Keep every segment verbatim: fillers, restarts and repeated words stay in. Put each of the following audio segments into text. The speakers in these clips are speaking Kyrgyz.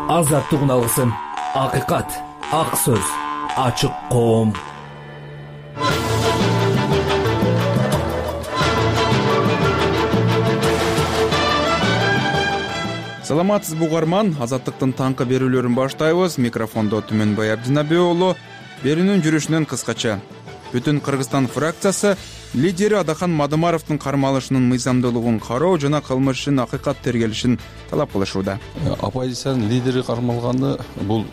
Азаттыгын алгысың. Акыйкат, ак сөз, ачык коом. Саламатсызбы угарман, Азаттыктын таңкы берүүлөрүн баштайбыз. Микрофондо Түмөнбай Абдинабий уулу. Берүүнүн жүрүшүнөн кыскача. Бүтүн Кыргызстан фракциясы лидери Адахан Мадумаровдун кармалышынын мыйзамдуулугун кароо жана кылмыш ишин акыйкат тергелишин талап кылышууда. Оппозициянын лидери кармалганы бул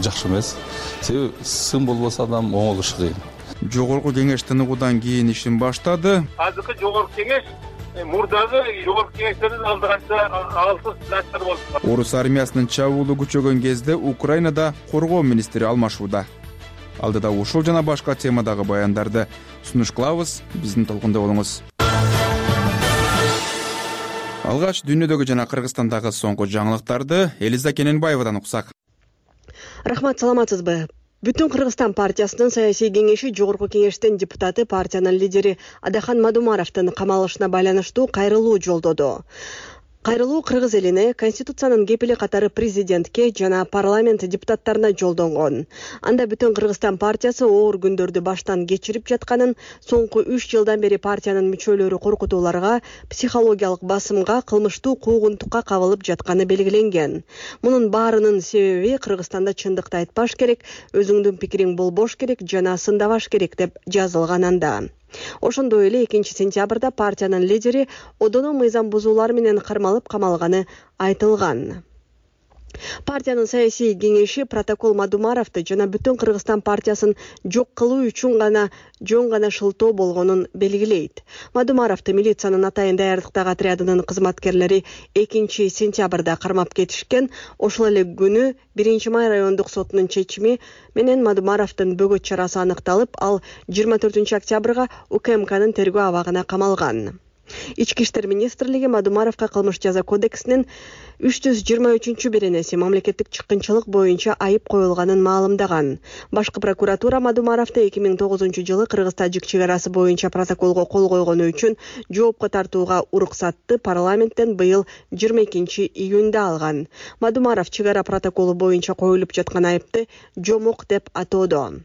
жакшы эмес. Себеби сын болбосо адам оңолушу кыйын. Жогорку кеңеш тыныгуудан кийин ишин баштады. Азыркы жогорку кеңеш мурдагы жогорку кеңештердин алдыганча алсыз начар болду. Орус армиясынын чабуулу күчөгөн кезде Украинада коргоо министри алмашууда. Алдыда ушул жана башка темадагы баяндарды сунуш кылабыз. Биздин толкунда болуңуз. Алгач дүйнөдөгү жана Кыргызстандагы соңку жаңылыктарды Элиза Кененбаевадан уксак. Рахмат, саламатсызбы? Бүтүн Кыргызстан партиясынын саясий кеңеши жогорку кеңештин депутаты партиянын лидери Адахан Мадумаровдун камалышына байланыштуу кайрылуу жолдоду. Кайрылуу кыргыз элине Конституциянын кепили катары президентке жана парламент депутаттарына жолдонгон. Анда бүтүн Кыргызстан партиясы оор күндөрдү баштан кечирип жатканын, соңку үч жылдан бери партиянын мүчөлөрү коркутууларга, психологиялык басымга, кылмыштуу куугунтукка кабылып жатканы белгиленген. Мунун баарынын себеби Кыргызстанда чындыкты айтпаш керек, өзүңдүн пикириң болбош керек жана сындабаш керек деп жазылган анда. Ошондой эле экинчи сентябрда партиянын лидери одоно мыйзам бузуулар менен кармалып камалганы айтылган. Партиянын саясий кеңеши протокол Мадумаровду жана бүтүн Кыргызстан партиясын жок кылуу үчүн гана жөн гана шылтоо болгонун белгилейт. Мадумаровду милициянын атайын даярдыктагы отрядынын кызматкерлери экинчи сентябрда кармап кетишкен. Ошол эле күнү биринчи май райондук сотунун чечими менен Мадумаровдун бөгөт чарасы аныкталып, ал жыйырма төртүнчү октябрга УКМКнын тергөө абагына камалган. Ички иштер министрлиги Мадумаровго кылмыш жаза кодексинин үч жүз жыйырма үчүнчү беренеси мамлекеттик чыккынчылык боюнча айып коюлганын маалымдаган. Башкы прокуратура Мадумаровду эки миң тогузунчу жылы Кыргыз-Тажик чек арасы боюнча протоколго кол койгону үчүн жоопко тартууга уруксатты парламенттен быйыл жыйырма экинчи июнда алган. Мадумаров чек ара протоколу боюнча коюлуп жаткан айыпты жомок деп атоодо.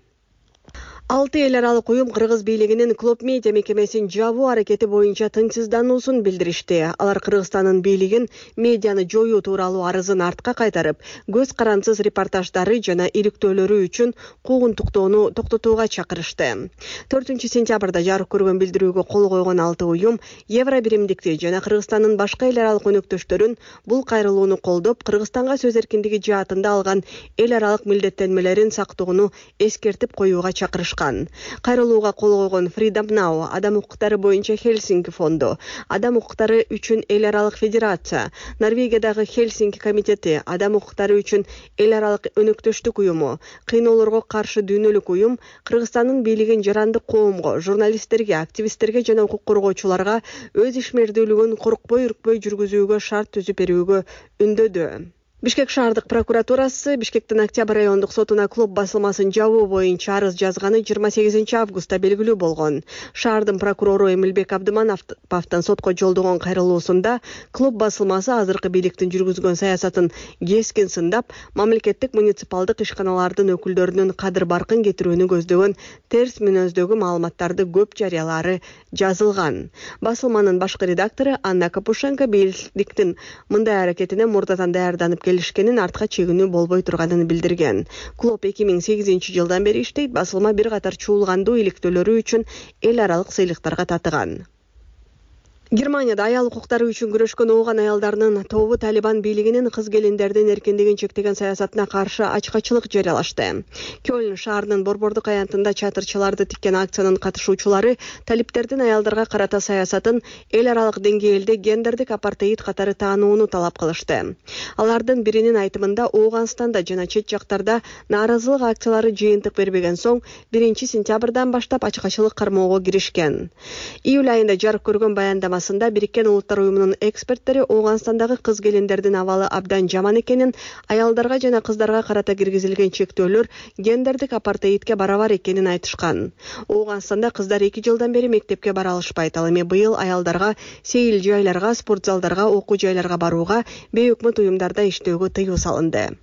Алты эл аралык уюм Кыргыз бийлигинин Клоп медиа мекемесин жабуу аракети боюнча тынчсыздануусун билдиришти. Алар Кыргызстандын бийлигин медианы жоюу тууралуу арызын артка кайтарып, көз карансыз репортаждары жана иликтөөлөрү үчүн куугунтуктоону токтотууга чакырышты. төртүнчү сентябрда жарык көргөн билдирүүгө кол койгон алты уюм Евро биримдикти жана Кыргызстандын башка эл аралык өнөктөштөрүн бул кайрылууну колдоп, Кыргызстанга сөз эркиндиги жаатында алган эл аралык милдеттенмелерин сактоону эскертип коюуга чакырышкан. Кайрылууга кол койгон Freedom Now, адам укуктары боюнча Хельсинки фонду, адам укуктары үчүн эл аралык федерация, Норвегиядагы Хельсинки комитети, адам укуктары үчүн эл аралык өнөктөштүк уюму, кыйноолорго каршы дүйнөлүк уюм Кыргызстандын бийлигин жарандык коомго, журналисттерге, активисттерге жана укук коргоочуларга өз ишмердүүлүгүн коркпой үркпөй жүргүзүүгө шарт түзүп берүүгө үндөдү. Бишкек шаардык прокуратурасы Бишкектин Октябрь райондук сотуна Клоп басылмасын жабуу боюнча арыз жазганы жыйырма сегизинчи августта белгилүү болгон. Шаардын прокурору Эмилбек Абдымановдун сотко жолдогон кайрылуусунда Клоп басылмасы азыркы бийликтин жүргүзгөн саясатын кескин сындап, мамлекеттик муниципалдык ишканалардын өкүлдөрүнүн кадыр баркын кетирүүнү көздөгөн терс мүнөздөгү маалыматтарды көп жарыялары жазылган. Басылманын башкы редактору Анна Капушенко бийликтин мындай аракетине мурдатан даярданып келишкенин, артка чегинүү болбой турганын билдирген. Клоп эки миң сегизинчи жылдан бери иштейт. Басылма бир катар чуулгандуу иликтөөлөрү үчүн эл аралык сыйлыктарга татыган. Германияда аял укуктары үчүн күрөшкөн ооган аялдарынын тобу Талибан бийлигинин кыз келиндердин эркиндигин чектеген саясатына каршы ачкачылык жарыялашты. Кёлн шаарынын Борбордук аянтында чатырчаларды тиккен акциянын катышуучулары талиптердин аялдарга карата саясатын эл аралык деңгээлде гендердик апартеид катары таанууну талап кылышты. Алардын биринин айтымында Ооганстанда жана чет жактарда нааразылык акциялары жыйынтык бербеген соң биринчи сентябрдан баштап ачкачылык кармоого киришкен. Июль айында жарык көргөн баяндамасы талаасында Бириккен Улуттар уюмунун эксперттери Ооганстандагы кыз келиндердин абалы абдан жаман экенин, аялдарга жана кыздарга карата киргизилген чектөөлөр гендердик апартеидке барабар экенин айтышкан. Ооганстанда кыздар эки жылдан бери мектепке бара алышпайт. Ал эми быйыл аялдарга сейил жайларга, спорт залдарга, окуу жайларга барууга, бейөкмөт уюмдарда иштөөгө тыюу салынды.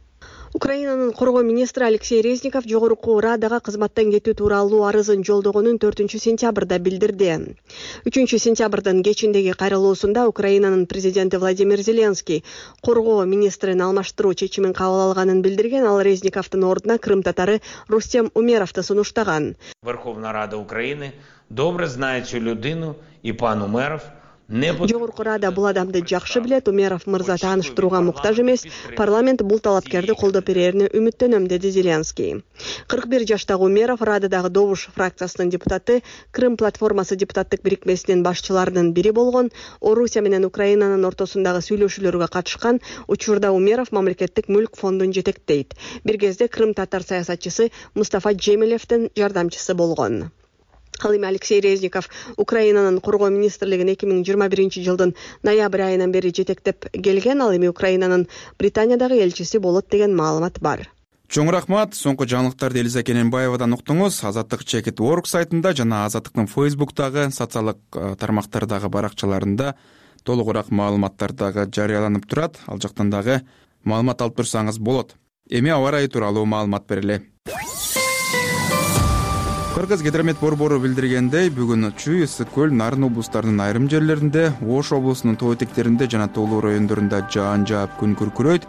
Украинанын коргоо министри Алексей Резников жогорку Радага кызматтан кетүү тууралуу арызын жолдогонун төртүнчү сентябрда билдирди. үчүнчү сентябрдын кечиндеги кайрылуусунда Украинанын президенти Владимир Зеленский коргоо министрин алмаштыруу чечимин кабыл алганын билдирген. Ал Резниковдун ордуна Крым татары Рустем Умеровду сунуштаган. Верховна Рада Украины добре знает цю людину и пан Умеров. Жогорку Рада бул адамды жакшы билет. Умеров мырза тааныштырууга муктаж эмес. Парламент бул талапкерди колдоп берерине үмүттөнөм, деди Зеленский. кырк бир жаштагы Умеров Рададагы Добуш фракциясынын депутаты, Крым платформасы депутаттык бирикмесинин башчыларынын бири болгон. Орусия менен Украинанын ортосундагы сүйлөшүүлөргө катышкан. Учурда Умеров мамлекеттик мүлк фондун жетектейт. Бир кезде Крым татар саясатчысы Мустафа Джемилевдин жардамчысы болгон. Ал эми Алексей Резников Украинанын коргоо министрлигин эки миң жыйырма биринчи жылдын ноябрь айынан бери жетектеп келген. Ал эми Украинанын Британиядагы элчиси болот деген маалымат бар. Чоң рахмат. Соңку жаңылыктарды Элиза Кененбаевадан уктуңуз. Азаттык чекит точка орг сайтында жана Азаттыктын Фейсбуктагы, социалдык тармактардагы баракчаларында толугураак маалыматтар дагы жарыяланып турат. Ал жактан дагы маалымат алып турсаңыз болот. Эми аба ырайы тууралуу маалымат берели. Кыргыз гидромет борбору билдиргендей, бүгүн Чүй, Ысык көл, Нарын облустарынын айрым жерлеринде, Ош облусунун тоо этектеринде жана тоолуу райондорунда жаан жаап күн күркүрөйт.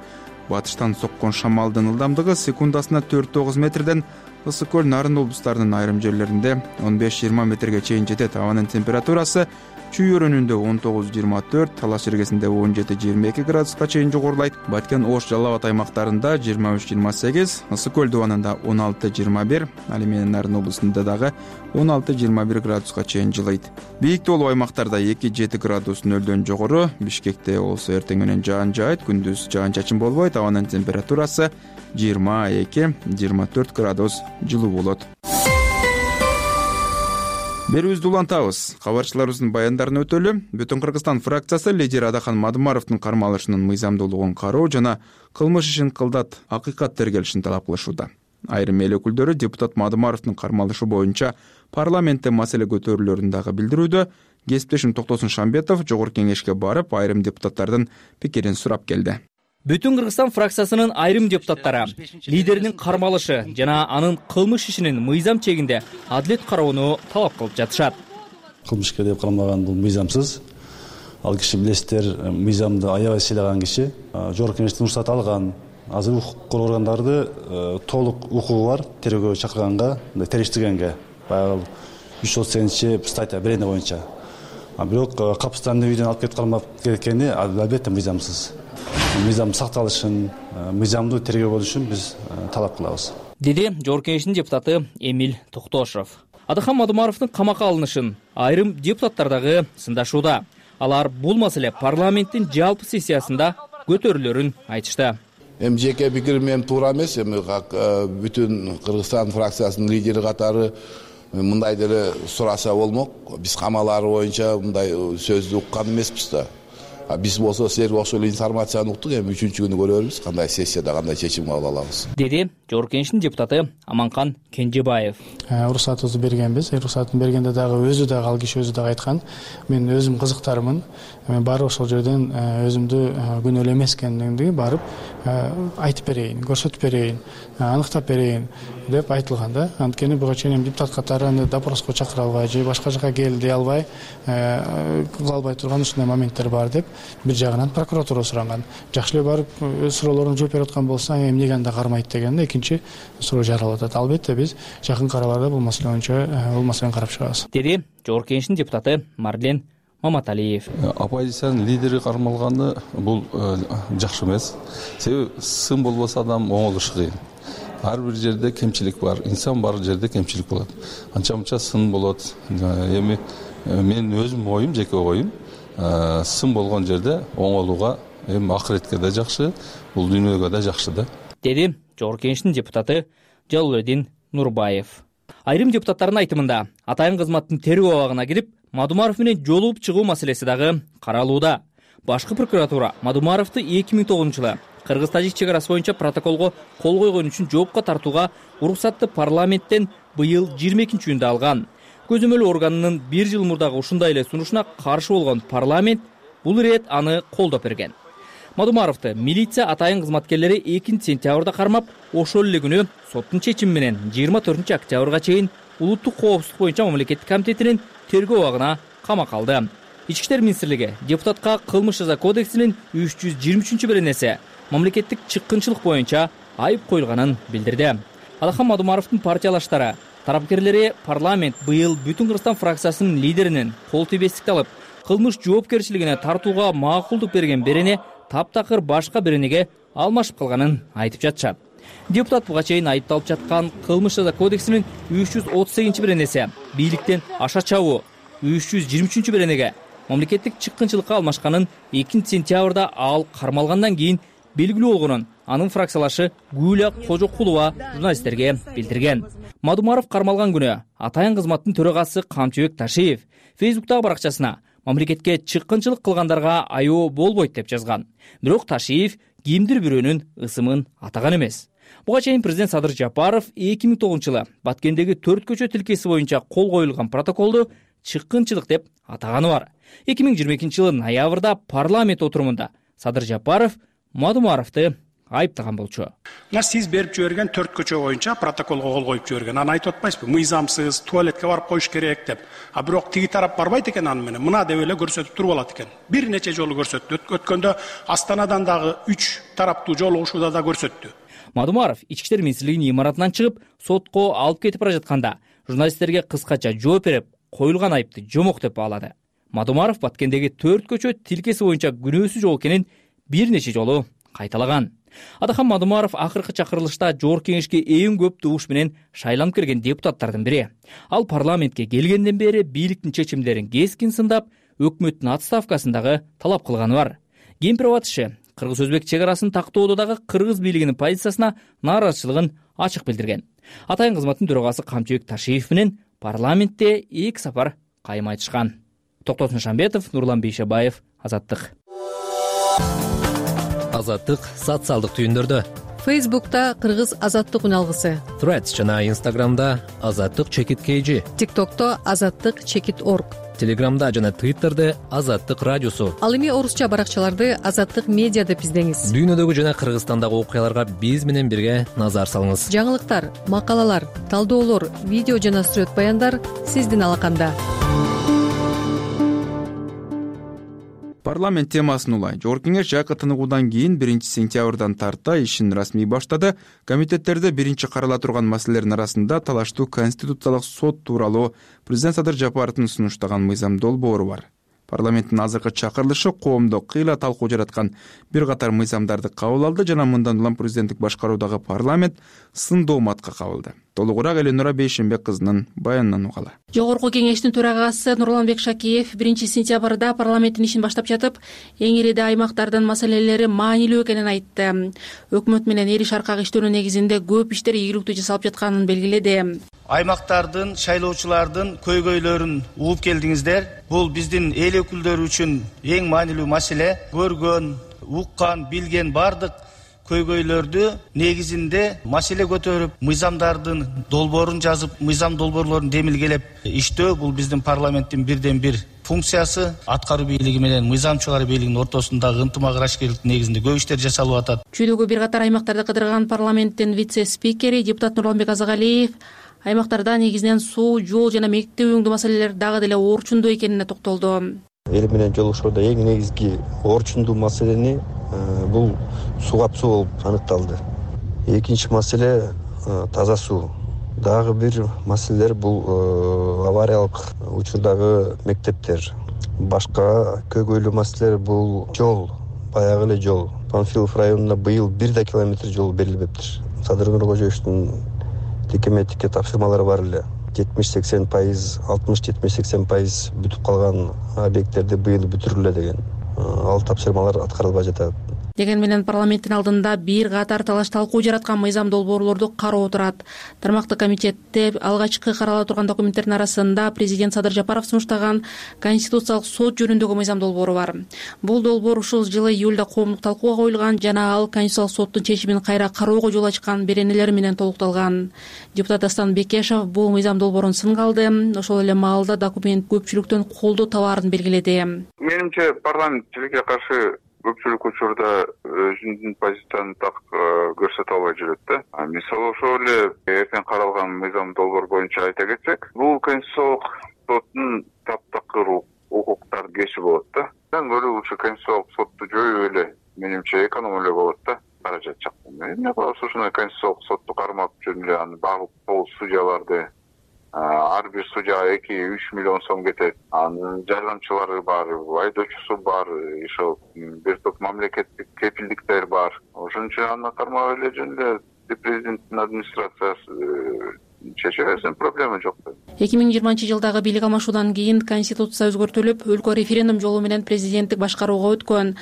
Батыштан соккон шамалдын ылдамдыгы секундасына төрт тогуз метрден, Ысык көл, Нарын облустарынын айрым жерлеринде он беш жыйырма метрге чейин жетет. Абанын температурасы Чүй өрөөнүндө он тогуз жыйырма төрт, Талаш эргесинде он жети жыйырма эки градуска чейин жогорулайт. Баткен, Ош, Жалал Абад аймактарында жыйырма үч жыйырма сегиз, Ысык көл дубанында он алты жыйырма бир, ал эми Нарын облусунда дагы он алты жыйырма бир градуска чейин жылыйт. Бийик тоолуу аймактарда эки жети градус нөлдөн жогору. Бишкекте болсо эртең менен жаан жаайт, күндүз жаан чачын болбойт. Абанын температурасы жыйырма эки жыйырма төрт градус жылуу болот. Берүүбүздү улантабыз. Кабарчыларыбыздын баяндарын өтөлү. Бүтүн Кыргызстан фракциясы лидери Адахан Мадумаровдун кармалышынын мыйзамдуулугун кароо жана кылмыш ишин кылдат акыйкат тергелишин талап кылышууда. Айрым эл өкүлдөрү депутат Мадумаровдун кармалышы боюнча парламентте маселе көтөрүүлөрүн дагы билдирүүдө. Кесиптешим Токтосун Шамбетов жогорку кеңешке барып, айрым депутаттардын пикирин сурап келди. Бүтүн Кыргызстан фракциясынын айрым депутаттары лидеринин кармалышы жана анын кылмыш ишинин мыйзам чегинде адилет кароону талап кылып жатышат. Кылмышка деп кармалган бул мыйзамсыз. Ал киши билесиздер, мыйзамды аябай сыйлаган киши, жогорку кеңештен уруксат алган. Азыр укук коргоо органдарды толук укугу бар тергөөгө чакырганга, териштиргенге. Баягы үч жүз отуз сегизинчи статья берене боюнча. А бирок капыстан үйдөн алып кетип кармап кеткени албетте мыйзамсыз. Мыйзам сакталышын, мыйзамдуу тергөө болушун биз талап кылабыз, деди жогорку кеңештин депутаты Эмиль Токтошов. Адахан Мадумаровдун камакка алынышын айрым депутаттар дагы сындашууда. Алар бул маселе парламенттин жалпы сессиясында көтөрүлөрүн айтышты. Эми жеке пикирим эми туура эмес, эми бүтүн Кыргызстан фракциясынын лидери катары мындай деле сураса болмок. Биз камалары боюнча мындай сөздү уккан эмеспиз да. Биз болсо силерге окшой информацияны уктук, эми үчүнчү күнү көрөрбүз, кандай сессияда кандай чечим кабыл алабыз, деди жогорку кеңештин депутаты Аманкан Кенжебаев. Уруксатыбызды бергенбиз. Уруксатын бергенде дагы өзү дагы ал киши өзү дагы айткан, мен өзүм кызыктармын, мен барып ошол жерден өзүмдү күнөөлүү эмес экендигимди барып айтып берейин, көрсөтүп берейин, аныктап берейин деп айтылган да. Анткени буга чейин депутат катары аны допроско чакыра албай же башка жака кел дей албай, кыла албай турган ушундай моменттер бар деп бир жагынан прокуратура суранган. Жакшы эле барып суроолоруна жооп берип аткан болсо, эмнеге анда кармайт деген экинчи суроо жаралып атат. Албетте биз жакын караларда бул маселе боюнча бул маселени карап чыгабыз, деди жогорку кеңештин депутаты Марлен Маматалиев. Оппозициянын лидери кармалганы бул жакшы эмес. Себеби сын болбосо адам оңолушу кыйын. Ар бир жерде кемчилик бар, инсан бар жерде кемчилик болот. Анча-мынча сын болот. Эми мен өзүм оюм, жеке оюм, сын болгон жерде оңолууга эми акыретке да жакшы, бул дүйнөгө да жакшы да, деди жогорку кеңештин депутаты Жалалбек Нурбаев. Айрым депутаттардын айтымында атайын кызматтын тергөө абагына кирип, Мадумаров менен жолугуп чыгуу маселеси дагы каралууда. Башкы прокуратура Мадумаровду эки миң тогузунчу жылы Кыргыз-Тажик чек арасы боюнча протоколго кол койгон үчүн жоопко тартууга уруксатты парламенттен быйыл жыйырма экинчи июнда алган. Көзөмөл органынын бир жыл мурдагы ушундай эле сунушуна каршы болгон парламент бул ирет аны колдоп берген. Мадумаровду милиция атайын кызматкерлери экинчи сентябрда кармап, ошол эле күнү соттун чечими менен жыйырма төртүнчү октябрга чейин улуттук коопсуздук боюнча мамлекеттик комитетинин тергөө абагына камакка алды. Ички иштер министрлиги депутатка кылмыш жаза кодексинин үч жүз жыйырма үчүнчү беренеси мамлекеттик чыккынчылык боюнча айып коюлганын билдирди. Адахан Мадумаровдун партиялаштары тарапкерлери парламент быйыл Бүтүн Кыргызстан фракциясынын лидеринин кол тийбестикти алып, кылмыш жоопкерчилигине тартууга макулдук берген берене таптакыр башка беренеге алмашып калганын айтып жатышат. Депутат буга чейин айыпталып жаткан кылмыш жаза кодексинин үч жүз отуз сегизинчи беренеси бийликтен аша чабуу, үч жүз жыйырма үчүнчү беренеге мамлекеттик чыккынчылыкка алмашканын экинчи сентябрда ал кармалгандан кийин белгилүү болгонун анын фракциялашы Гүлия Кожокулова журналисттерге билдирген. Мадумаров кармалган күнү атайын кызматтын төрагасы Камчыбек Ташиев Фейсбуктагы баракчасына мамлекетке чыккынчылык кылгандарга аяоо болбойт деп жазган. Бирок Ташиев кимдир бирөөнүн ысымын атаган эмес. Буга чейин президент Садыр Жапаров эки миң тогузунчу жылы Баткендеги төрт көчө тилкеси боюнча кол коюлган протоколду чыккынчылык деп атаганы бар. эки миң жыйырма экинчи жылы ноябрда парламент отурумунда Садыр Жапаров Мадумаровду айыптаган болчу. Мына сиз берип жиберген төрт көчө боюнча протоколго кол коюп жиберген. Аны айтып атпайсызбы? Мыйзамсыз, туалетке барып коюш керек деп. А бирок тиги тарап барбайт экен аны менен. Мына деп эле көрсөтүп туруп алат экен. Бир нече жолу көрсөттү. Өткөндө Астанадан дагы үч тараптуу жолугушууда да көрсөттү. Мадумаров ички иштер министрлигинин имаратынан чыгып, сотко алып кетип бара жатканда журналисттерге кыскача жооп берип, коюлган айыпты жомок деп баалады. Мадумаров Баткендеги төрт көчө тилкеси боюнча күнөөсүз жок экенин бир нече жолу кайталаган. Адахан Мадумаров акыркы чакырылышта жогорку кеңешке эң көп добуш менен шайланып келген депутаттардын бири. Ал парламентке келгенден бери бийликтин чечимдерин кескин сындап, өкмөттүн отставкасын дагы талап кылганы бар. Кемпир-Абад Кыргыз-Өзбек чек арасын тактоодо дагы кыргыз бийлигинин позициясына нааразычылыгын ачык билдирген. Атайын кызматтын төрагасы Камчыбек Ташиев менен парламентте эки сапар кайым айтышкан. Токтосун Шамбетов, Нурлан Бейшебаев, Азаттык. Азаттык социалдык түйүндөрдө. Фейсбукта Кыргыз Азаттык үналгысы. Threads жана Инстаграмда Азаттык чекит kg. ТикТокто Азаттык чекит орг. Телеграмда жана Твиттерде Азаттык радиосу. Ал эми орусча баракчаларды Азаттык медиа деп издеңиз. Дүйнөдөгү жана Кыргызстандагы окуяларга биз менен бирге назар салыңыз. Жаңылыктар, макалалар, талдоолор, видео жана сүрөт баяндар сиздин алаканда. Парламент темасын улай. Жогорку кеңеш жайкы тыныгуудан кийин биринчи сентябрдан тарта ишин расмий баштады. Комитеттерде биринчи карала турган маселелердин арасында талаштуу конституциялык сот тууралуу президент Садыр Жапаровдун сунуштаган мыйзам долбоору бар. Парламенттин азыркы чакырылышы коомдо кыйла талкуу жараткан бир катар мыйзамдарды кабыл алды жана мындан улам президенттик башкаруудагы парламент сын дооматка кабылды. Толугураак Эленора Бейшембек кызынын баянынан угалы. Жогорку кеңештин төрагасы Нурланбек Шакиев биринчи сентябрда парламенттин ишин баштап жатып, эң ириде аймактардын маселелери маанилүү экенин айтты. Өкмөт менен эл иш аркагы иштөөнүн негизинде көп иштер ийгиликтүү жасалып жатканын белгиледи. Аймактардын, шайлоочулардын көйгөйлөрүн угуп келдиңиздер. Бул биздин эл өкүлдөрү үчүн эң маанилүү маселе. Көргөн, уккан, билген бардык көйгөйлөрдү негизинде маселе көтөрүп, мыйзамдардын долбоорун жазып, мыйзам долбоорлорун демилгелеп иштөө бул биздин парламенттин бирден бир функциясы. Аткаруу бийлиги менен мыйзам чыгаруу бийлигинин ортосундагы ынтымак ырашкерликтин негизинде көп иштер жасалып атат. Чүйдөгү бир катар аймактарды кыдырган парламенттин вице-спикери депутат Нурланбек Азагалиев аймактарда негизинен суу, жол жана мектеп үйүңдүү маселелер дагы деле орчундуу экенине токтолду. Эл менен жолугушууда эң негизги орчундуу маселени бул суу капсоо болуп аныкталды. Экинчи маселе таза суу. Дагы бир маселелер бул авариялык учурдагы мектептер. Башка көйгөйлүү маселелер бул жол, баягы эле жол. Панфилов районуна быйыл бир да километр жол берилбептир. Садыр Нуркожоевичтин текеметикке тапшырмалары бар эле. жетимиш сексен пайыз, алтымыш жетимиш сексен пайыз бүтүп калган объекттерди быйыл бүтүрүлө деген. Ал тапшырмалар аткарылбай жатат. Деген менен парламенттин алдында бир катар талаш талкуу жараткан мыйзам долбоорлорду кароо турат. Тармактык комитетте алгачкы карала турган документтердин арасында президент Садыр Жапаров сунуштаган Конституциялык сот жөнүндөгү мыйзам долбоору бар. Бул долбоор ушул жылы июлда коомдук талкууга коюлган жана ал Конституциялык соттун чечимин кайра кароого жол ачкан беренелер менен толукталган. Депутат Дастан Бекешев бул мыйзам долбоорун сынга алды. Ошол эле маалда документ көпчүлүктөн колдоо табаарын белгиледи. Менимче парламент тилекке каршы көпчүлүк учурда өзүнүн позициясын так көрсөтө албай жүрөт да. Мисалы ошол эле эртең каралган мыйзам долбоор боюнча айта кетсек, бул конституциялык соттун таптакыр укуктарды кеши болот да. Мен көрүп ушу конституциялык сотту жоюп эле менимче эконом эле болот да. Каражат жактан. Эмне кылабыз ушундай конституциялык сотту кармап жүрүп эле аны багып кол судьяларды ар бир судьяга эки үч миллион сом кетет. Анын жардамчылары бар, айдоочусу бар, ошол бир топ мамлекеттик кепилдиктер бар. Ошон үчүн аны кармап эле жөн эле президенттин администрациясы чече берсен проблема жок. эки миң жыйырманчы жылдагы бийлик алмашуудан кийин конституция өзгөртүлүп, өлкө референдум жолу менен президенттик башкарууга өткөн.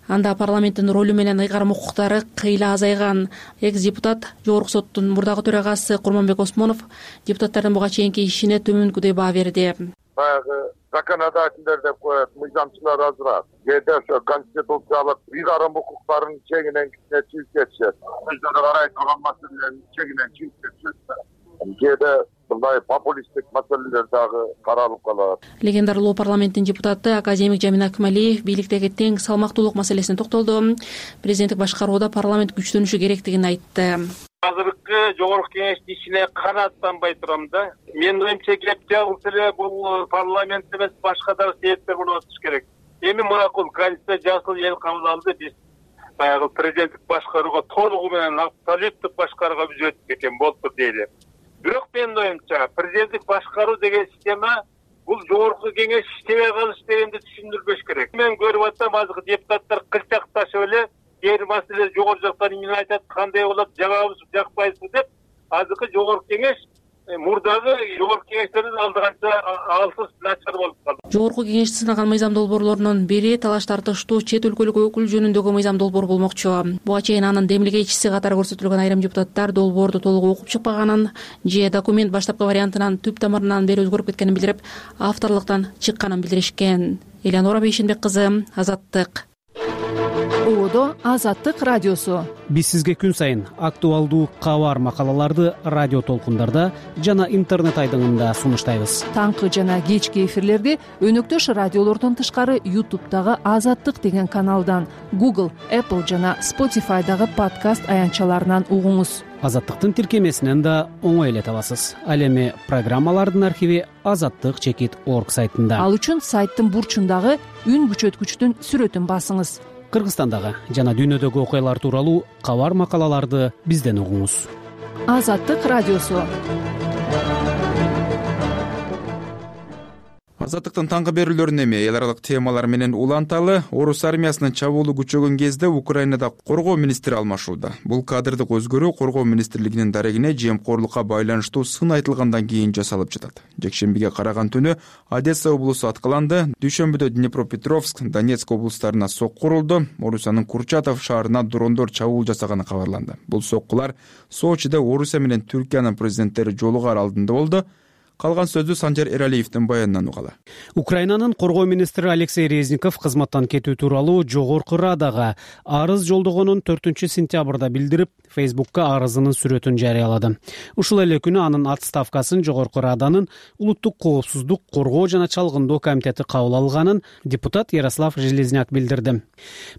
Анда парламенттин ролу менен ыйгарым укуктары кыйла азайган. Экс-депутат Жогорку соттун мурдагы төрагасы Курманбек Осмонов депутаттардын буга чейинки ишине төмөнкүдөй баа берди. Баягы законодательдер деп коет, мыйзамчылар азыраак. Кээде ошо конституциялык ыйгарым укуктарын чегинен чыгып кетишет. Өздөрү карай турган маселелердин чегинен чыгып кетишет. Кээде мындай популисттик маселелер дагы каралып калат. Легендардуу парламенттин депутаты академик Жамин Акмалиев бийликтеги тең салмактуулук маселесине токтолду. Президенттик башкарууда парламент күчтөнүшү керектигин айтты. Азыркы жогорку кеңештин ишине канааттанбай турам да. Менин оюмча кеп жабылса эле бул парламент эмес, башка дагы себептер болуп атыш керек. Эми макул конституция жасыл эл кабыл алды, биз баягы президенттик башкарууга толугу менен абсолюттук башкарууга биз өтүп кеткен болуптур дейли. Бирок менин оюмча президенттик башкаруу деген система бул жогорку кеңеш иштебей калыш дегенди түшүндүрбөш керек. Мен көрүп атсам азыркы депутаттар кылчакташып эле кээ маселе жогору жактан эмне айтат, кандай болот, жагабыз жакпайбызбы деп азыркы жогорку кеңеш мурдагы жогорку кеңештердин алдыганча алсыз начар болуп калды. Жогорку кеңеш сынаган мыйзам долбоорлорунун бири талаш тартыштуу чет өлкөлүк өкүл жөнүндөгү мыйзам долбоор болмокчу. Буга чейин анын демилгечиси катары көрсөтүлгөн айрым депутаттар долбоорду толук окуп чыкпаганын же документ баштапкы вариантынан түп тамырынан бери өзгөрүп кеткенин билдирип, авторлуктан чыкканын билдиришкен. Элеонора Бейшенбек кызы, Азаттык. Оодо Азаттык радиосу. Биз сизге күн сайын актуалдуу кабар макалаларды радио толкундарда жана интернет айдыңында сунуштайбыз. Таңкы жана кечки эфирлерди өнөктөш радиолордон тышкары YouTube'дагы Азаттык деген каналдан, Google, Apple жана Spotify'дагы подкаст аянтчаларынан угуңуз. Азаттыктын тиркемесинен да оңой эле табасыз. Ал эми программалардын архиви азаттык чекит орг сайтында. Ал үчүн сайттын бурчундагы үн күчөткүчтүн сүрөтүн басыңыз. Кыргызстандагы жана дүйнөдөгү окуялар тууралуу кабар макалаларды бизден угуңуз. Азаттык радиосу. Азаттыктын таңкы берүүлөрүн эми эл аралык темалар менен уланталы. Орус армиясынын чабуулу күчөгөн кезде Украинада коргоо министри алмашууда. Бул кадрдык өзгөрүү коргоо министрлигинин дарегине жемкорлукка байланыштуу сын айтылгандан кийин жасалып жатат. Жекшембиге караган түнү Одесса облусу аткыланды. Дүйшөмбүдө Днепропетровск, Донецк облустарына сокку урулду. Орусиянын Курчатов шаарына дрондор чабуул жасаганы кабарланды. Бул соккулар Сочиде Орусия менен Түркиянын президенттери жолугар алдында болду. Калган сөздү Санжар Эралиевдин баянынан угалы. Украинанын коргоо министри Алексей Резников кызматтан кетүү тууралуу Жогорку Радага арыз жолдогонун төртүнчү сентябрда билдирип, Фейсбукка арызынын сүрөтүн жарыялады. Ушул эле күнү анын отставкасын Жогорку Раданын улуттук коопсуздук, коргоо жана чалгындоо комитети кабыл алганын депутат Ярослав Железняк билдирди.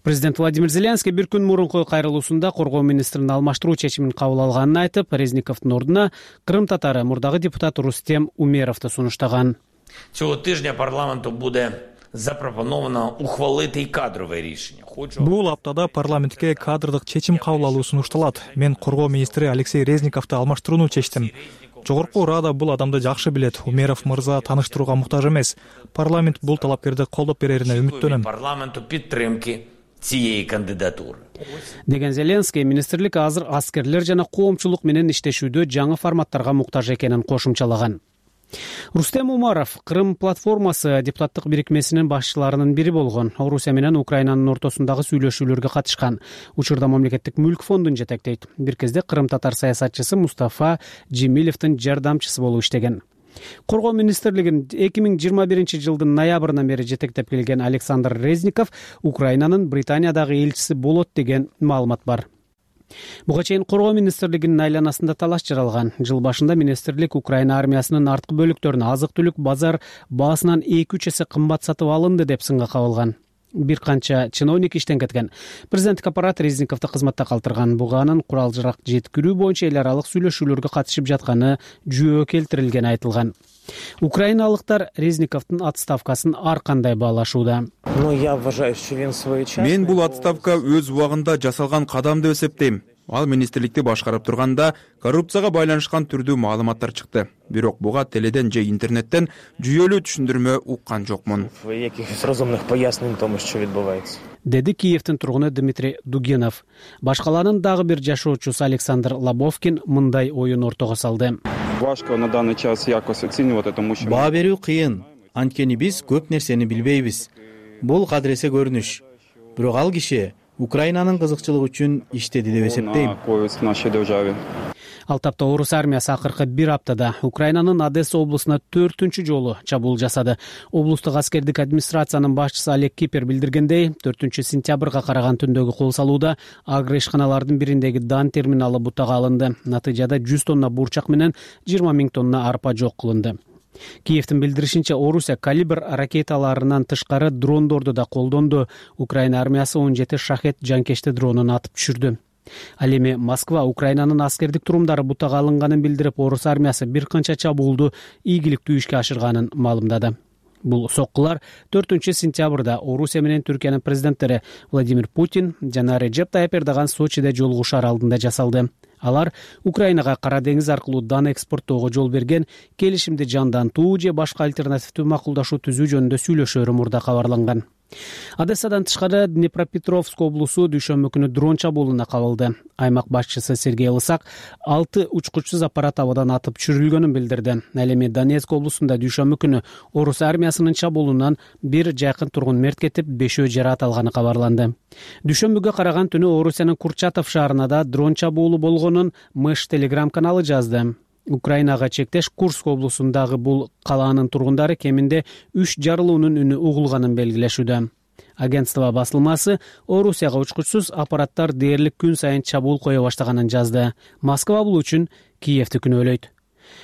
Президент Владимир Зеленский бир күн мурунку кайрылуусунда коргоо министрин алмаштыруу чечимин кабыл алганын айтып, Резниковдун ордуна Крым татары мурдагы депутат Рустем Умеровду сунуштаган. Цього тижня парламенту буде запропоновано ухвалити и кадрове рішення. Бул аптада парламентке кадрдык чечим кабыл алуу сунушталат. Мен коргоо министри Алексей Резниковду алмаштырууну чечтим. Жогорку Рада бул адамды жакшы билет. Умеров мырза тааныштырууга муктаж эмес. Парламент бул талапкерди колдоп берерине үмүттөнөм. Парламенту підтримки цієї кандидатури. Деген Зеленский министрлик азыр аскерлер жана коомчулук менен иштешүүдө жаңы форматтарга муктаж экенин кошумчалаган. Рустем Умаров Кырым платформасы депутаттык бирикмесинин башчыларынын бири болгон. Орусия менен Украинанын ортосундагы сүйлөшүүлөргө катышкан. Учурда мамлекеттик мүлк фондун жетектейт. Бир кезде Кырым татар саясатчысы Мустафа Жемилевдин жардамчысы болуп иштеген. Коргоо министрлигин эки миң жыйырма биринчи жылдын ноябрынан бери жетектеп келген Александр Резников Украинанын Британиядагы элчиси болот деген маалымат бар. Буга чейин Коргоо министрлигинин айланасында талаш жаралган. Жыл башында министрлик Украина армиясынын арткы бөлүктөрүнө азык-түлүк базар баасынан эки үч эсе кымбат сатып алынды деп сынга кабылган. Бир канча чиновник иштен кеткен. Президенттик аппарат Резниковду кызматта калтырган. Буга анын курал-жарак жеткирүү боюнча эл аралык сүйлөшүүлөргө катышып жатканы жөө келтирилгени айтылган. Украиналыктар Резниковдун отставкасын ар кандай баалашууда? Мен бул отставка өз убагында жасалган кадам деп эсептейм. Ал министрликти башкарып турганда коррупцияга байланышкан түрдүү маалыматтар чыкты. Бирок буга теледен же интернеттен жүйөлүү түшүндүрмө уккан жокмун. Деди Киевдин тургуну Дмитрий Дугинов. Башкаланын дагы бир жашоочусу Александр Лобовкин мындай оюн ортого салды. Баа берүү кыйын, анткени биз көп нерсени билбейбиз. Бул кадыресе көрүнүш. Бирок ал киши Украинанын кызыкчылыгы үчүн иштеди деп эсептейм. Ал тапта орус армиясы акыркы бир аптада Украинанын Одесса облусуна төртүнчү жолу чабуул жасады. Облустук аскердик администрациянын башчысы Олег Кипер билдиргендей, төртүнчү сентябрга караган түндөгү кол салууда агро ишканалардын бириндеги дан терминалы бутага алынды. Натыйжада жүз тонна бурчак менен жыйырма миң тонна арпа жок кылынды. Киевдин билдиришинче, Орусия калибр ракеталарынан тышкары дрондорду да колдонду. Украина армиясы он жети шахет жанкечти дронун атып түшүрдү. Ал эми Москва Украинанын аскердик турумдары бутага алынганын билдирип, орус армиясы бир канча чабуулду ийгиликтүү ишке ашырганын маалымдады. Бул соккулар төртүнчү сентябрда Орусия менен Түркиянын президенттери Владимир Путин жана Реджеп Тайып Эрдоган Сочиде жолугушаар алдында жасалды. Алар Украинага Кара деңиз аркылуу дан экспорттоого жол берген, келишимди жандантуу же башка альтернативдүү макулдашуу түзүү жөнүндө сүйлөшөөрү мурда кабарланган. Одессадан тышкары Днепропетровск облусу дүйшөмбү күнү дрон чабуулуна кабылды. Аймак башчысы Сергей Лысак алты учкучсуз аппарат абадан атып түшүрүлгөнүн билдирди. Ал эми Донецк облусунда дүйшөмбү күнү орус армиясынын чабуулунан бир жакын тургун мерт кетип, бешөө жараат алганы кабарланды. Дүйшөмбүгө караган түнү Орусиянын Курчатов шаарында дрон чабуулу болгонун Мыш телеграм каналы жазды. Украинага чектеш Курск облусундагы бул калаанын тургундары кеминде үч жарылуунун үнү угулганын белгилешүүдө. Агентство басылмасы Орусияга учкучсуз аппараттар дээрлик күн сайын чабуул кое баштаганын жазды. Москва бул үчүн Киевди күнөөлөйт.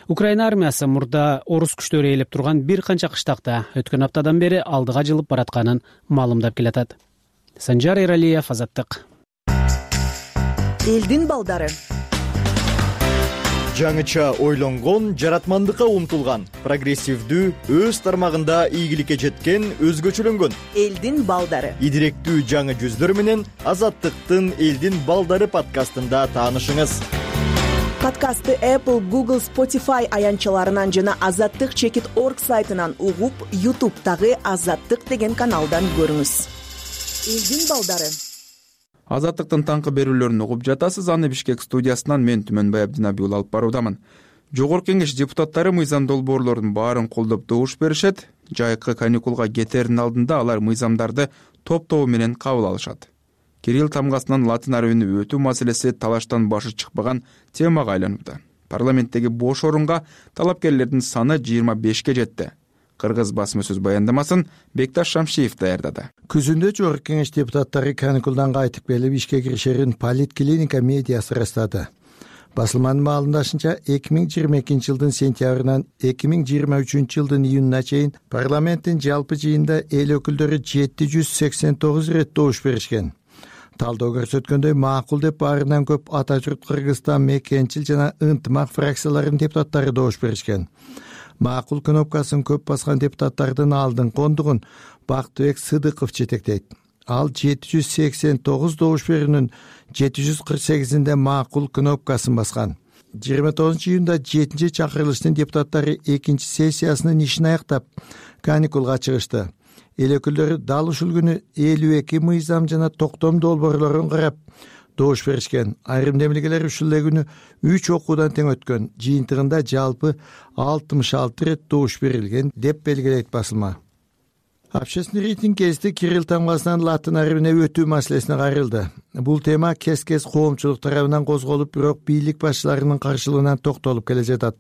Украина армиясы мурда орус күчтөрү ээлеп турган бир канча кыштакта өткөн аптадан бери алдыга жылып баратканын маалымдап келатат. Санжар Эралиев, Азаттык. Элдин балдары. Жаңыча ойлонгон, жаратмандыкка умтулган, прогрессивдүү, өз тармагында ийгиликке жеткен, өзгөчөлөнгөн элдин балдары. Идиректүү жаңы жүздөр менен Азаттыктын Элдин балдары подкастында таанышыңыз. Подкастты Apple, Google, Spotify аянчаларынан жана азаттык чекит точка орг сайтынан угуп, YouTube'дагы Азаттык деген каналдан көрүңүз. Элдин балдары. Азаттыктын таңкы берүүлөрүн угуп жатасыз. Аны Бишкек студиясынан мен Түмөнбай Абдинабий уулу алып баруудамын. Жогорку Кеңеш депутаттары мыйзам долбоорлордун баарын колдоп добуш беришет. Жайкы каникулга кетердин алдында алар мыйзамдарды топ-тобу менен кабыл алышат. Кирилл тамгасынан латын арабине өтүү маселеси талаштан башы чыкпаган темага айланууда. Парламенттеги бош орунга талапкерлердин саны жыйырма бешке жетти. Кыргыз басма сөз баяндамасын Бекташ Шамшиев даярдады. Күзүндө Жогорку Кеңеш депутаттары каникулдан кайтып келип ишке киришерин Политклиника медиасы ырастады. Басылманын маалымдашынча, эки миң жыйырма экинчи жылдын сентябрынан эки миң жыйырма үчүнчү жылдын июнуна чейин парламенттин жалпы жыйында эл өкүлдөрү жети жүз сексен тогуз ирет добуш беришкен. Талдоо көрсөткөндөй, макул деп баарынан көп Ата журт Кыргызстан, Мекенчил жана Ынтымак фракцияларынын депутаттары добуш беришкен. Макул кнопкасын көп баскан депутаттардын алдыңкы ондугун Бактыбек Сыдыков жетектейт. Ал жети жүз сексен тогуз добуш берүүнүн жети жүз кырк сегизинде макул кнопкасын баскан. жыйырма тогузунчу июнда жетинчи чакырылыштын депутаттары экинчи сессиясынын ишин аяктап каникулга чыгышты. Эл өкүлдөрү дал ушул күнү элүү эки мыйзам жана токтом долбоорлорун карап, добуш беришкен. Айрым демилгелер ушул эле күнү үч окуудан тең өткөн. Жыйынтыгында жалпы алтымыш алты ирет добуш берилген деп белгилейт басылма. Общественный рейтинг кезинде Кирилл тамгасынан латын арабине өтүү маселесине кайрылды. Бул тема кез-кез коомчулук тарабынан козголуп, бирок бийлик башчыларынын каршылыгынан токтолуп келе жатат.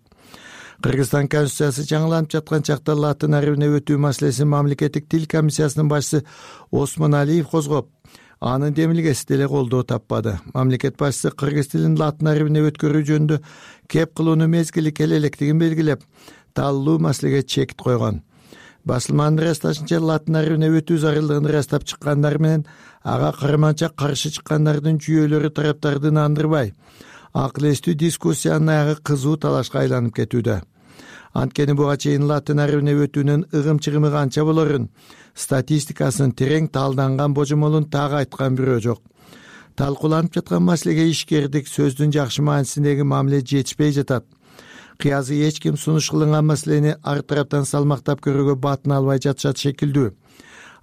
Кыргызстан конституциясы жаңыланып жаткан чакта латын арабине өтүү маселесин мамлекеттик тил комиссиясынын башчысы Осмон Алиев козгоп, анын демилгеси деле колдоо таппады. Мамлекет башчысы кыргыз тилин латын арабине өткөрүү жөнүндө кеп кылууну мезгили келе электигин белгилеп, таллуу маселеге чек койгон. Басылманын ырасташынча, латын арабине өтүү зарылдыгын ырастап чыккандар менен ага карманча каршы чыккандардын жүйөлөрү тараптарды андырбай, акыл эстүү дискуссиянын аягы кызуу талашка айланып кетүүдө. Анткени буга чейин латын арабине өтүүнүн ыгым-чыгымы канча болорун, статистикасын терең талданган божомолун так айткан бирөө жок. Талкууланып жаткан маселеге ишкердик сөздүн жакшы маанисиндеги мамиле жетишпей жатат. Кыязы эч ким сунуш кылынган маселени ар тараптан салмактап көрүүгө батын албай жатышат шекилдүү.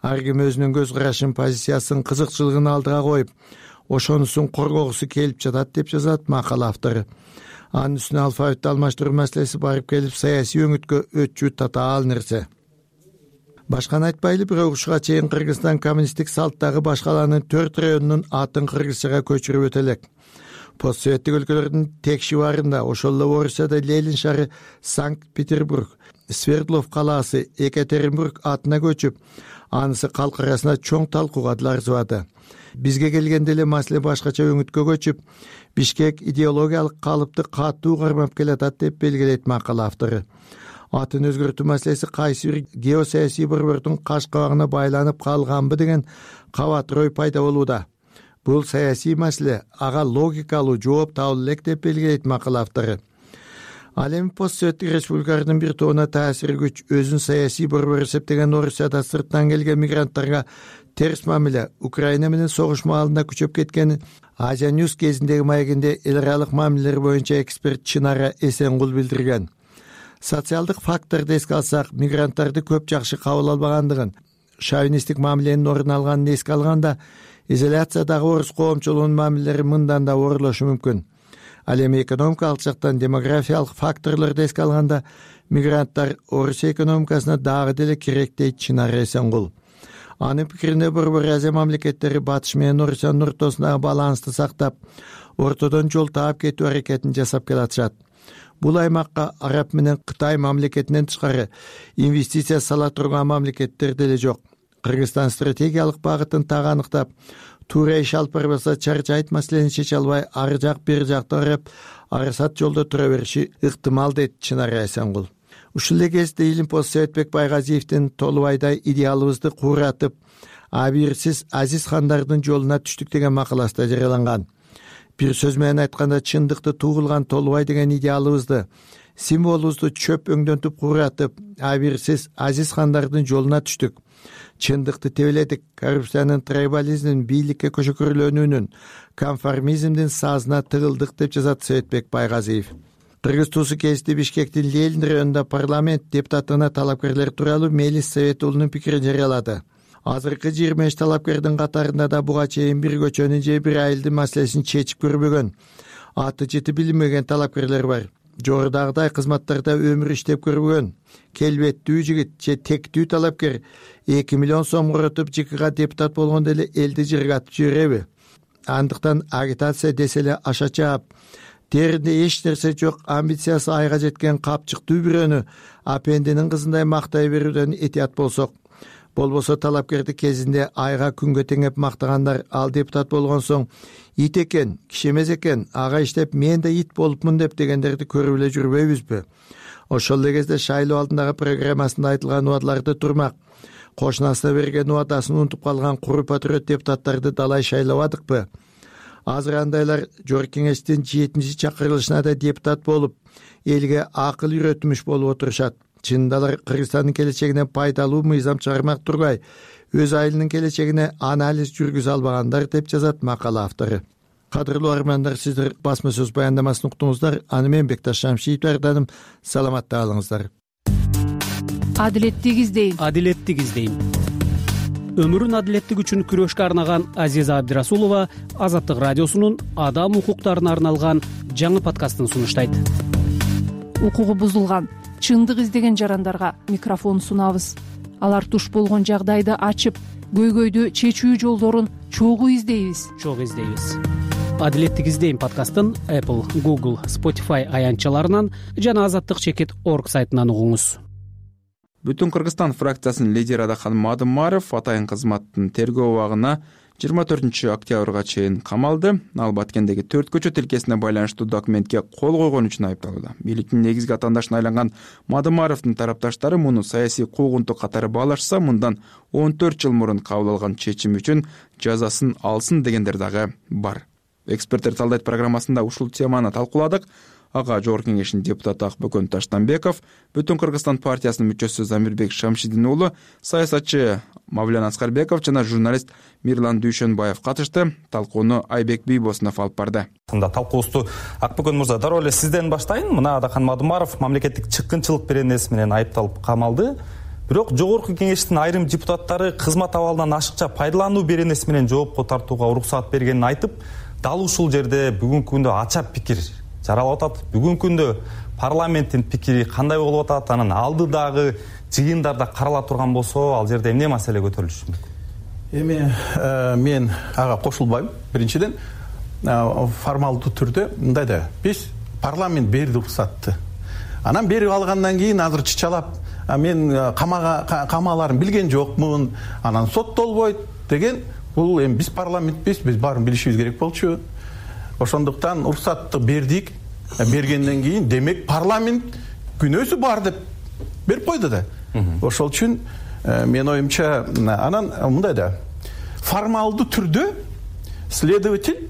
Ар ким өзүнүн көз карашын, позициясын, кызыкчылыгын алдыга коюп, ошонусун коргогусу келип жатат деп жазат макала автору. Анын үстүнө алфавитти алмаштыруу маселеси барып келип саясий өңүткө өтчү татаал нерсе. Башканы айтпайлы, бирок ушуга чейин Кыргызстан коммунисттик салттагы баш калаанын төрт районунун атын кыргызчага көчүрүп өтө элек. Постсоветтик өлкөлөрдүн тең шибарында, ошол эле Орусияда Ленин шаары Санкт-Петербург, Свердлов калаасы Екатеринбург атына көчүп, анысы калк арасында чоң талкууга арзыбады. Бизге келгенде эле маселе башкача өңүткө көчүп, Бишкек идеологиялык калыпты катуу кармап келатат деп белгилейт макала автору. Атын өзгөртүү маселеси кайсы бир геосаясий борбордун каш кабагына байланып калганбы деген кабат ой пайда болууда. Бул саясий маселе, ага логикалуу жооп табыла элек деп белгилейт макала автору. Ал эми постсоветтик республикалардын бир тобуна таасир күч өзүн саясий борбор эсептеген Орусияда сырттан келген мигранттарга терс мамиле Украина менен согуш маалында күчөп кеткенин Азия Ньюс кезиндеги маегинде эл аралык мамилелер боюнча эксперт Чынара Эсенгул билдирген. Социалдык факторду эске алсак, мигранттарды көп жакшы кабыл албагандыгын, шовинисттик мамиленин орун алганын эске алганда, изоляциядагы орус коомчулугунун мамилелери мындан да оорлошу мүмкүн. Ал эми экономикалык жактан демографиялык факторлорду эске алганда, мигранттар Орусия экономикасына дагы деле керек дейт Чынара Эсенгул. Анын пикирине Борбор Азия мамлекеттери батыш менен Орусиянын ортосундагы балансты сактап, ортодон жол таап кетүү аракетин жасап келатышат. Бул аймакка Араб менен Кытай мамлекетинен тышкары инвестиция сала турган мамлекеттер деле жок. Кыргызстан стратегиялык багытын так аныктап, туура иш алып барбаса чарчайт маселени чече албай, ар жак бир жакты карап, арасат жолдо тура бериши ыктымал дейт Чынара Эсенгул. Ушул эле кезде Илим Советбек Байгазиевдин Толубайдай идеалыбызды кууратып, абийирсиз азиз хандардын жолуна түштүк деген макаласында жарыяланган. Бир сөз менен айтканда, чындыкты туулган Толубай деген идеалыбызды, символубузду чөп өңдөнтүп кууратып, абийирсиз азиз хандардын жолуна түштүк. Чындыкты тебеледик, коррупциянын, трайбализмдин, бийликке көчкөрүлөнүүнүн, конформизмдин сазына тыгылдык деп жазат Советбек Байгазиев. Кыргыз туусу кезинде Бишкектин Ленин районунда парламент депутатына талапкерлер тууралуу Мелис Советулунун пикирин жарыялады. Азыркы жыйырма беш талапкердин катарында да буга чейин бир көчөнүн же бир айылдын маселесин чечип көрбөгөн, аты жыты билинбеген талапкерлер бар. Жогорудагыдай кызматтарда өмүр иштеп көрбөгөн, келбеттүү жигит же тектүү талапкер эки миллион сом коротуп ЖКга депутат болгондо эле элди жыргатып жибереби? Андыктан агитация десе эле аша чаап, теринде эч нерсе жок, амбициясы айга жеткен капчыктуу бирөөнү апендинин кызындай мактай берүүдөн этият болсок, болбосо талапкерди кезинде айга күнгө теңеп мактагандар ал депутат болгон соң ит экен, киши эмес экен, ага иштеп мен да ит болупмун деп дегендерди көрүп эле жүрбөйбүзбү? Ошол эле кезде шайлоо алдындагы программасында айтылган убадаларды турмак, кошунасына берген убадасын унутуп калган куру патриот депутаттарды далай шайлабадыкпы? Азыр андайлар Жогорку Кеңештин жетинчи чакырылышына да депутат болуп, элге акыл үйрөтмүш болуп отурушат. Чынында алар Кыргызстандын келечегине пайдалуу мыйзам чыгармак тургай, өз айылынын келечегине анализ жүргүзө албагандар деп жазат макала автору. Кадырлуу армандар, сиздер басма сөз баяндамасын уктуңуздар. Аны мен Бекташ Шамшиев даярдадым. Саламатта калыңыздар. Адилеттик издейм. Адилеттик издейм. өмүрүн адилеттик үчүн күрөшкө арнаган Азиза Абдирасулова Азаттык радиосунун адам укуктарына арналган жаңы подкастын сунуштайт. Укугу бузулган, чындык издеген жарандарга микрофон сунабыз. Алар туш болгон жагдайды ачып, көйгөйдү чечүү жолдорун чогуу издейбиз. Чогуу издейбиз. Адилеттик издейм подкастын Apple, Google, Spotify аянтчаларынан жана азаттык чекит точка орг сайтынан угуңуз. Бүтүн Кыргызстан фракциясынын лидери Адахан Мадымаров атайын кызматтын тергөө убагына жыйырма төртүнчү октябрга чейин камалды. Ал Баткендеги төрт көчө тилкесине байланыштуу документке кол койгон үчүн айыпталууда. Бийликтин негизги атаандашына айланган Мадымаровдун тарапташтары муну саясий куугунтук катары баалашса, мындан он төрт жыл мурун кабыл алган чечим үчүн жазасын алсын дегендер дагы бар. Эксперттер талдайт программасында ушул теманы талкууладык. Ага Жогорку Кеңештин депутаты Акбөкөн Таштанбеков, Бүтүн Кыргызстан партиясынын мүчөсү Замирбек Шамшидин уулу, саясатчы Мавлян Аскарбеков жана журналист Мирлан Дүйшөнбаев катышты. Талкууну Айбек Бийбосунов алып барды. Талкуубузду Акбөкөн мырза, дароо эле сизден баштайын. Мына Адахан Мадымаров мамлекеттик чыккынчылык беренеси менен айыпталып камалды. Бирок Жогорку Кеңештин айрым депутаттары кызмат абалынан ашыкча пайдалануу беренеси менен жоопко тартууга уруксат бергенин айтып, дал ушул жерде бүгүнкү күндө ача пикир жаралып атат. Бүгүнкү күндө парламенттин пикири кандай болуп атат, анан алдыдагы жыйындарда карала турган болсо, ал жерде эмне маселе көтөрүлүшү мүмкүн? Эми мен ага кошулбайм. Биринчиден, формалдуу түрдө мындай да, биз парламент берди уруксатты. Анан берип алгандан кийин азыр чычалап, мен камага камаларын билген жокмун, анан соттолбойт деген, бул эми биз парламентпиз, биз баарын билишибиз керек болчу. Ошондуктан уруксатты бердик. Бергенден кийин демек парламент күнөөсү бар деп берип койду да. Ошол үчүн мен оюмча анан мындай да, формалдуу түрдө следователь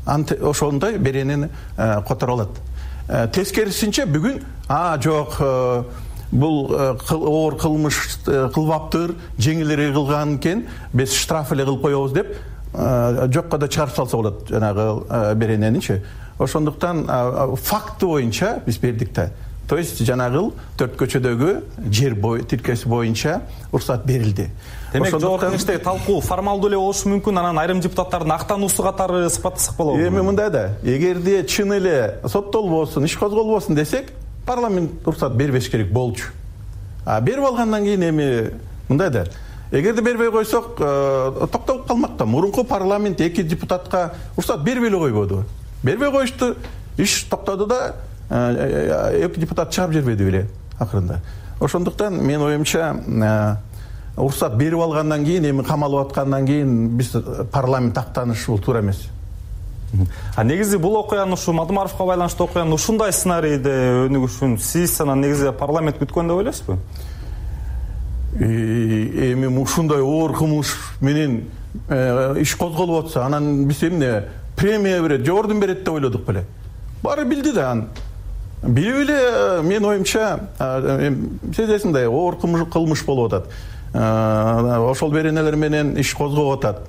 ошондой беренени которо алат. Тескерисинче бүгүн а жок, бул оор кылмыш кылбаптыр, жеңилирээк кылган экен, биз штраф эле кылып коебуз деп жокко да чыгарып салса болот жанагы берененичи. Ошондуктан факты боюнча биз бердик да. То есть жанагы төрт көчөдөгү жер бой тилкеси боюнча уруксат берилди. Демек Жогорку Кеңештеги талкуу формалдуу эле болушу мүмкүн, анан айрым депутаттардын актануусу катары сыпаттасак болобу? Эми мындай да, эгерде чын эле соттолбосун, иш козголбосун десек, парламент уруксат бербеш керек болчу. А берип алгандан кийин эми мындай да, эгерде бербей койсок, токтоп калмак да. Мурунку парламент эки депутатка уруксат бербей эле койбоду. Бербей коюшту, иш токтоду да, эки депутат чыгарып жибербеди беле акырында. Ошондуктан мен оюмча уруксат берип алгандан кийин, эми камалып аткандан кийин биз парламент актанышы бул туура эмес. А негизи бул окуянын, ушу Мадымаровго байланыштуу окуянын ушундай сценарийде өнүгүшүн сиз анан негизи парламент күткөн деп ойлойсузбу? Эми ушундай оор кылмыш менен иш козголуп атса, анан биз эмне премия берет, же орден берет деп ойлодук беле. Баары билди да. Билип эле мен оюмча сезесиң да, оор кылмыш болуп атат. Ошол беренелер менен иш козгоп атат.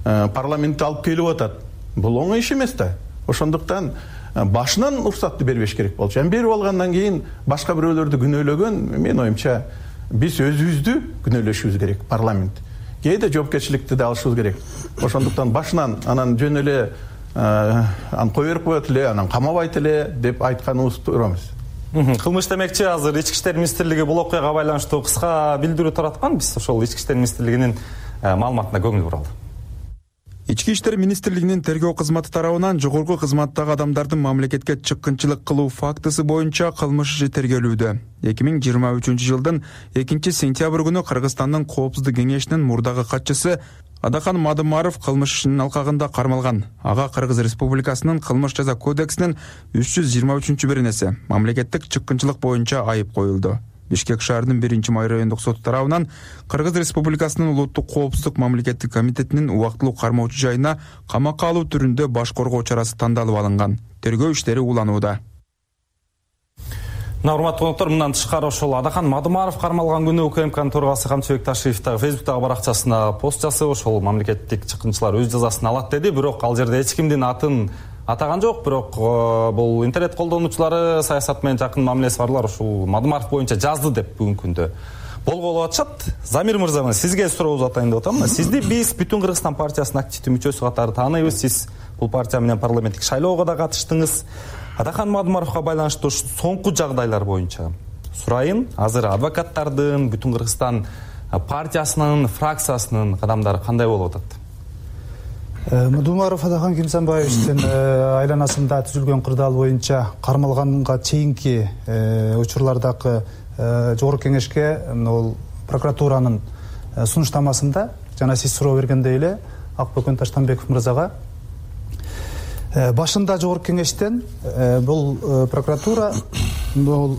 Парламентте алып келип атат. Бул оңой иш эмес да. Ошондуктан башынан уруксатты бербеш керек болчу. Эми берип алгандан кийин башка бирөөлөрдү күнөөлөгөн, мен оюмча биз өзүбүздү күнөөлөшүбүз керек, парламент. Кээде жоопкерчиликти да алышыбыз керек. Ошондуктан башынан анан жөн эле аны кое берип коет эле, анан камабайт эле деп айтканыбыз туура эмес. Кылмыш демекчи, азыр Ички иштер министрлиги бул окуяга байланыштуу кыска билдирүү тараткан. Биз ошол Ички иштер министрлигинин маалыматына көңүл буралы. Ички иштер министрлигинин тергөө кызматы тарабынан жогорку кызматтагы адамдардын мамлекетке чыккынчылык кылуу фактысы боюнча кылмыш иши тергөлүүдө. эки миң жыйырма үчүнчү жылдын экинчи сентябрь күнү Кыргызстандын Коопсуздук кеңешинин мурдагы катчысы Адахан Мадымаров кылмыш ишинин алкагында кармалган. Ага Кыргыз Республикасынын кылмыш жаза кодексинин үч жүз жыйырма үчүнчү беренеси мамлекеттик чыккынчылык боюнча айып коюлду. Бишкек шаарынын биринчи май райондук соту тарабынан Кыргыз Республикасынын улуттук коопсуздук мамлекеттик комитетинин убактылуу кармоочу жайына камакка алуу түрүндө баш коргоо чарасы тандалып алынган. Тергөө иштери уланууда. Урматтуу коноктор, мындан тышкары ошол Адахан Мадымаров кармалган күнү УКМКнын төрагасы Камчыбек Ташиев дагы Фейсбуктагы баракчасына пост жасап, ошол мамлекеттик чыккынчылар өз жазасын алат деди. Бирок ал жерде эч кимдин атын атаган жок. Бирок бул интернет колдонуучулары, саясат менен жакын мамилеси барлар ушул Мадымаров боюнча жазды деп бүгүнкү күндө болгон болуп атышат. Замир мырза, сизге суроо атайын деп атам. Сизди биз Бүтүн Кыргызстан партиясынын активдүү мүчөсү катары тааныйбыз. Сиз бул партия менен парламенттик шайлоого да катыштыңыз. Адахан Мадумаровго байланыштуу соңку жагдайлар боюнча сурайын. Азыр адвокаттардын, Бүтүн Кыргызстан партиясынын, фракциясынын кадамдары кандай болуп атат? Мадумаров Адахан Кимсанбаевичтин айланасында түзүлгөн кырдаал боюнча кармалганга чейинки учурлардагы Жогорку Кеңешке ол прокуратуранын сунуштамасында жана сиз суроо бергендей эле Акбөкөн Таштанбеков мырзага башында Жогорку Кеңештен бул прокуратура бул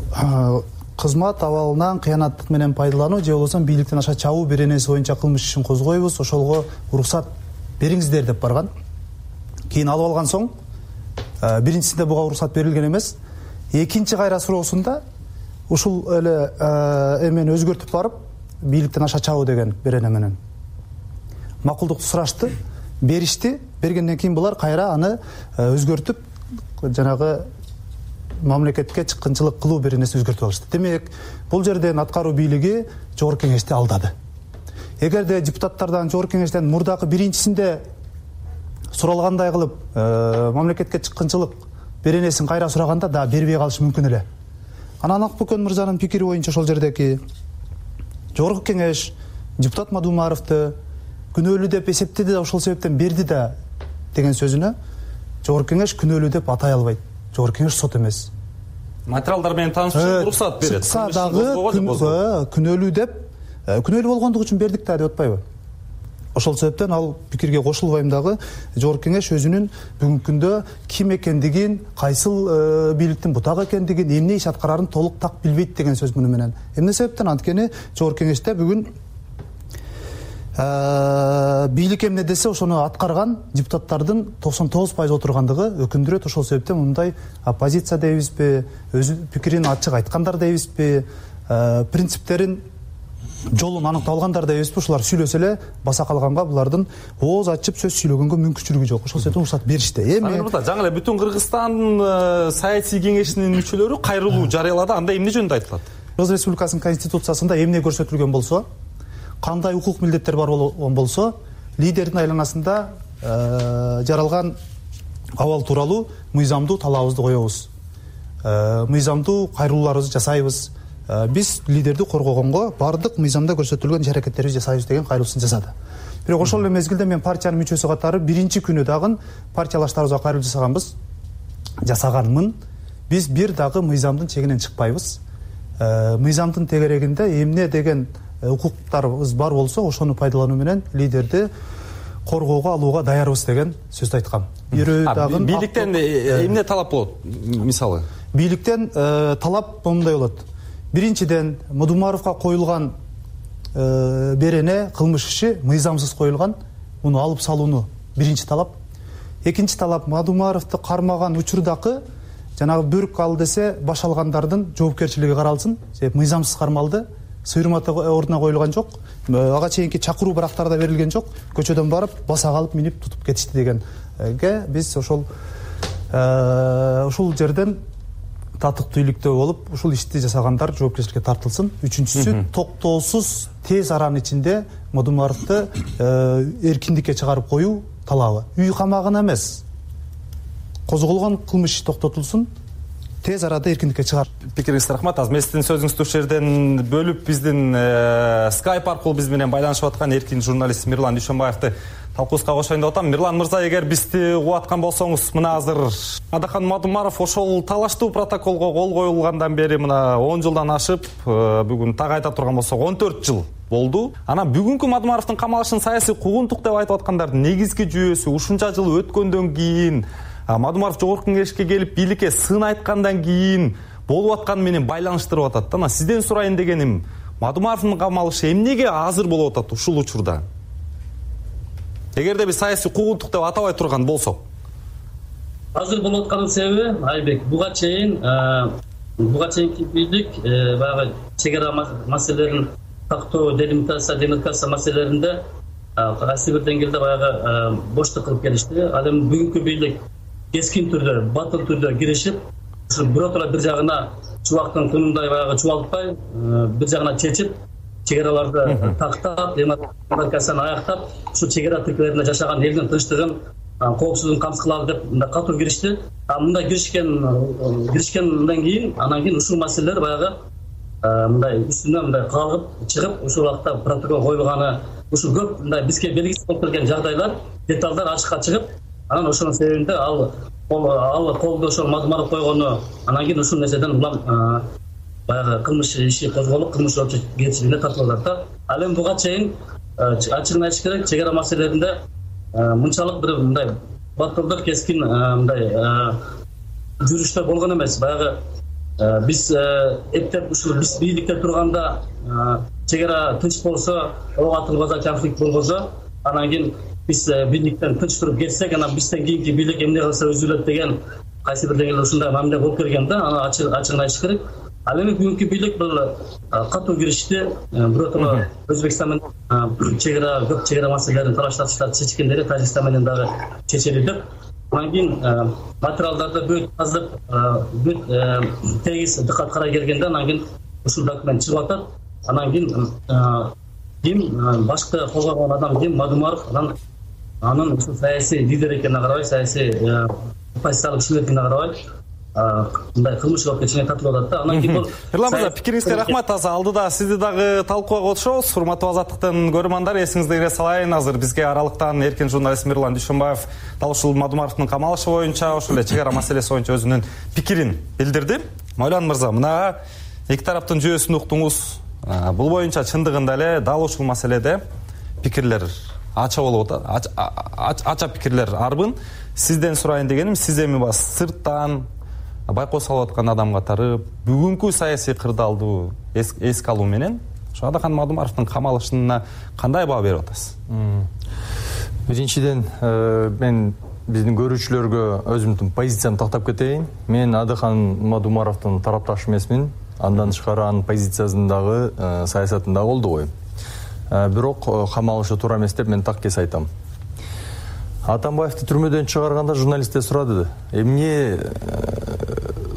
кызмат абалынан кыянаттык менен пайдалануу же болбосо бийликтен аша чабуу беренеси боюнча кылмыш ишин козгойбуз, ошолго уруксат бериңиздер деп барган. Кийин алып алган соң биринчисинде буга уруксат берилген эмес. Экинчи кайра суроосунда ушул эле эмени өзгөртүп барып, бийликтен аша чабуу деген берене менен макулдукту сурашты, беришти. Бергенден кийин булар кайра аны өзгөртүп, жанагы мамлекетке чыккынчылык кылуу беренесин өзгөртүп алышты. Демек, бул жерден аткаруу бийлиги Жогорку Кеңешти алдады. Эгерде депутаттардан Жогорку Кеңештен мурдакы биринчисинде суралгандай кылып, мамлекетке чыккынчылык беренесин кайра сураганда да бербей калышы мүмкүн эле. Анан Акбөкөн мырзанын пикири боюнча ошол жердеки Жогорку Кеңеш депутат Мадумаровду күнөөлүү деп эсептеди да ошол себептен берди да деген сөзүнө Жогорку Кеңеш күнөөлүү деп атай албайт. Жогорку Кеңеш сот эмес. Материалдар менен таанышып уруксат берет. Чыкса дагы күнөөлүү деп күнөөлүү болгондугу үчүн бердик да деп атпайбы? Ошол себептен ал пикирге кошулбайм дагы. Жогорку Кеңеш өзүнүн бүгүнкү күндө ким экендигин, кайсыл бийликтин бутагы экендигин, эмне иш аткарарын толук так билбейт деген сөз муну менен. Эмне себептен? Анткени Жогорку Кеңеште бүгүн бийлик эмне десе ошону аткарган депутаттардын токсон тогуз пайыз отургандыгы өкүндүрөт. Ошол себептен мындай оппозиция дейбизби, өз пикирин ачык айткандар дейбизби, принциптерин жолун аныкталгандар дейбизби, ушулар сүйлөсө эле баса калганга булардын ооз ачып сөз сүйлөгөнгө мүмкүнчүлүгү жок. Ошол себептен уруксат беришти. Эми жаңы эле Бүтүн Кыргызстан саясий кеңешинин мүчөлөрү кайрылуу жарыялады. Анда эмне жөнүндө айтылат? Кыргыз Республикасынын конституциясында эмне көрсөтүлгөн болсо, кандай укук милдеттер бар болгон болсо, лидердин айланасында жаралган абал тууралуу мыйзамдуу талабыбызды коебуз. Мыйзамдуу кайрылууларыбызды жасайбыз. Биз лидерди коргогонго бардык мыйзамда көрсөтүлгөн иш-аракеттерибизди жасайбыз деген кайрылуусун жасады. Бирок ошол эле мезгилде мен партиянын мүчөсү катары биринчи күнү дагы партиялаштарыбызга кайрылуу жасаганбыз. Жасаганмын. Биз бир дагы мыйзамдын чегинен чыкпайбыз. Мыйзамдын тегерегинде эмне деген укуктарыбыз бар болсо, ошону пайдалануу менен лидерди коргоого алууга даярбыз деген сөздү айткам. Бирөө дагы бийликтен эмне талап болот? Мисалы, бийликтен талап моундай болот. Биринчиден, Мадумаровго коюлган берене, кылмыш иши мыйзамсыз коюлган. Муну алып салууну биринчи талап. Экинчи талап, Мадумаровду кармаган учурдагы жанагы бөрк ал десе баш алгандардын жоопкерчилиги каралсын. Себеп мыйзамсыз кармалды. Сыйырматы ордуна коюлган жок. Ага чейинки чакыруу барактарда берилген жок. Көчөдөн барып, баса калып минип тутуп кетишти дегенге биз ошол ушул жерден татыктуу иликтөө болуп, ушул ишти жасагандар жоопкерчиликке тартылсын. Үчүнчүсү, токтоосуз тез аранын ичинде Мадумаровду эркиндикке чыгарып коюу талабы. Үй камагына эмес, козголгон кылмыш токтотулсун, тез арада эркиндикке чыгар. Пикириңизге рахмат. Азыр мен сиздин сөзүңүздү ушул жерден бөлүп, биздин Skype аркылуу биз менен байланышып аткан эркин журналист Мирлан Дүйшөнбаевди талкуубузга кошоюн деп атам. Мирлан мырза, эгер бизди угуп аткан болсоңуз, мына азыр Адахан Мадумаров ошол талаштуу протоколго кол коюлгандан бери мына он жылдан ашып, бүгүн так айта турган болсок он төрт жыл болду. Анан бүгүнкү Мадумаровдун камалышын саясий куугунтук деп айтып аткандардын негизги жүйөсү ушунча жыл өткөндөн кийин, Мадумаров Жогорку Кеңешке келип бийликке сын айткандан кийин болуп атканы менен байланыштырып атат. Анан сизден сурайын дегеним, Мадумаровдун камалышы эмнеге азыр болуп атат ушул учурда? Эгерде биз саясий куугунтук деп атабай турган болсок. Азыр болуп атканын себеби, Айбек, буга чейин буга чейинки бийлик баягы чек ара маселелерин тактоо, делимитация, демаркация маселелеринде кайсы бир деңгээлде баягы боштук кылып келишти. Ал эми бүгүнкү бийлик кескин түрдө, батыл түрдө киришип, биротура бир жагына чубактын кунундай баягы чубалтпай, бир жагына чечип, чек араларды тактап демаркацияны аяктап ушул чек ара тилкелеринде жашаган элдин тынчтыгын коопсуздугун камсыз кылалы деп мындай катуу киришти. А мындай киришкен киришкенден кийин анан кийин ушул маселелер баягы мындай үстүнөн мындай калгып чыгып ушул убакта протокол коюлганы ушул көп мындай бизге белгисиз болуп келген жагдайлар деталдар ачыкка чыгып анан ошонун себебинде ал ал колду ошол Мадумаров койгону анан кийин ушул нерседен улам баягы кылмыш иши козголуп кылмыш жоопкерчилигине тартылат да. Ал эми буга чейин ачыгын айтыш керек, чек ара маселелеринде мынчалык бир мындай батылдык кескин мындай жүрүштөр болгон эмес. Баягы биз эптеп ушул биз бийликте турганда чек ара тынч болсо, ок атылбаса, конфликт болбосо, анан кийин биз бийликтен тынч туруп кетсек, анан бизден кийинки бийлик эмне кылса үзүлөт деген кайсы бир деңгээлде ушундай мамиле болуп келген да. Аны ачыгын айтыш керек. Ал эми бүгүнкү бийлик бул катуу киришти. Биротоло Өзбекстан менен чек ара көп чек ара маселелерин талашташып чечкендери Тажикстан менен дагы чечели деп. Анан кийин материалдарды бүт казып, бүт тегиз дыкат карай келгенде анан кийин ушул документ чыгып атат. Анан кийин ким башкы козгогон адам ким Мадумаров, анан анын ушул саясий лидер экенине карабай, саясий оппозициялык кишилер экенине карабай мындай кылмыш жоопкерчилигине тартылып атат да. Анан кийин бул Эрлан мырза, пикириңизге рахмат. Азыр алдыда сизди дагы талкууга котушобуз. Урматтуу Азаттыктын көрөрмандар, эсиңизде кире салайын, азыр бизге аралыктан эркин журналист Мирлан Дүйшөнбаев дал ушул Мадумаровдун камалышы боюнча, ошол эле чек ара маселеси боюнча өзүнүн пикирин билдирди. Майлан мырза, мына эки тараптын жүйөсүн уктуңуз. Бул боюнча чындыгында эле дал ушул маселеде пикирлер ача болуп атат. Ача пикирлер арбын. Сизден сурайын дегеним, сиз эми бас сырттан байкоо салып аткан адам катары бүгүнкү саясий кырдаалды эске алуу менен ошо Адахан Мадумаровдун камалышына кандай баа берип атасыз? Биринчиден, мен биздин көрүүчүлөргө өзүмдүн позициямды тактап кетейин. Мен Адахан Мадумаровдун тарапташы эмесмин. Андан тышкары анын позициясын дагы, саясатын дагы колдобойм. Бирок камалышы туура эмес деп мен так кес айтам. Атамбаевди түрмөдөн чыгарганда журналисттер сурады: эмне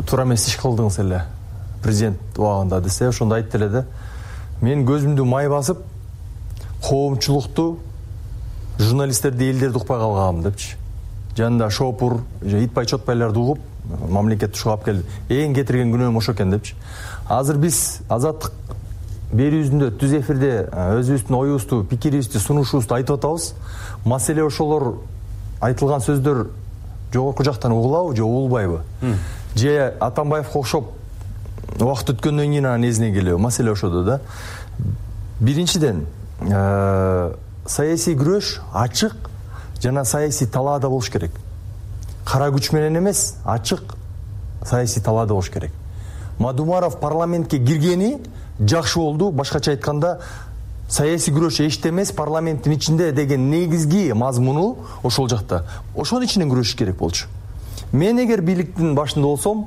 туура эмес иш кылдыңыз эле президент убагында десе, ошондо айтты эле да: мен көзүмдү май басып, коомчулукту, журналисттерди, элдерди укпай калгам депчи. Жанында шопур, итпай чотпайларды угуп, мамлекетти ушуга алып келди. Эң кетирген күнөөм ошо экен депчи. Азыр биз Азаттык берүүбүздө түз эфирде өзүбүздүн оюбузду, пикирибизди, сунушубузду айтып атабыз. Маселе ошолор айтылган сөздөр жогорку жактан угулабы же угулбайбы? Же Атамбаевге окшоп убакыт өткөндөн кийин анын эзине келеби? Маселе ошодо да. Биринчиден, саясий күрөш ачык жана саясий талаада болуш керек. Кара күч менен эмес, ачык саясий талаада болуш керек. Мадумаров парламентке киргени жакшы болду. Башкача айтканда, саясий күрөш эчте эмес, парламенттин ичинде деген негизги мазмуну ошол жакта. Ошонун ичинен күрөшүш керек болчу. Мен эгер бийликтин башында болсом,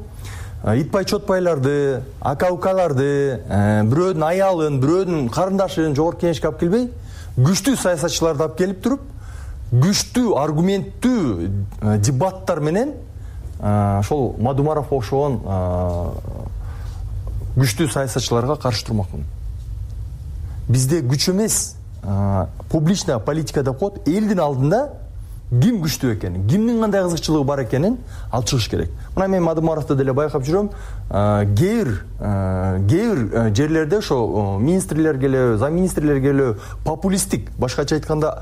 итпай чотпайларды, ака-укаларды, бирөөнүн аялын, бирөөнүн карындашын жогорку кеңешке алып келбей, күчтүү саясатчыларды алып келип туруп, күчтүү, аргументтүү дебаттар менен ошол Мадумаров окшогон күчтүү саясатчыларга каршы турмакмын. Бизде күч эмес, публичная политика деп коет, элдин алдында ким күчтүү экенин, кимдин кандай кызыкчылыгы бар экенин алып чыгыш керек. Мына мен Мадумаровду деле байкап жүрөм. Кээ бир кээ бир жерлерде ошо министрлер келеби, замминистрлер келеби популисттик, башкача айтканда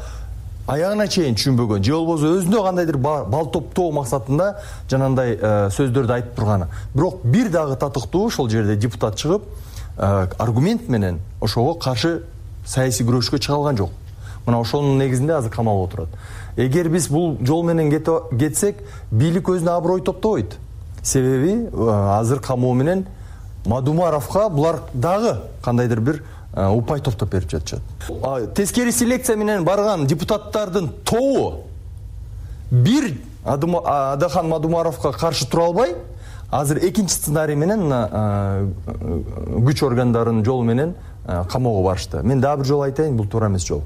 аягына чейин түшүнбөгөн, же болбосо өзүндө кандайдыр бал топтоо максатында жанандай сөздөрдү айтып турганы. Бирок бир дагы татыктуу ошол жерде депутат чыгып, аргумент менен ошого каршы саясий күрөшкө чыга алган жок. Мына ошонун негизинде азыр камалып отурат. Эгер биз бул жол менен кетсек, бийлик өзүнө аброй топтобойт. Себеби азыр камоо менен Мадумаровго булар дагы кандайдыр бир упай топтоп берип жатышат. Тескери селекция менен барган депутаттардын тобу бир Адахан Мадумаровго каршы тура албай, азыр экинчи сценарий менен күч органдарынын жолу менен камоого барышты. Мен дагы бир жолу айтайын, бул туура эмес жол.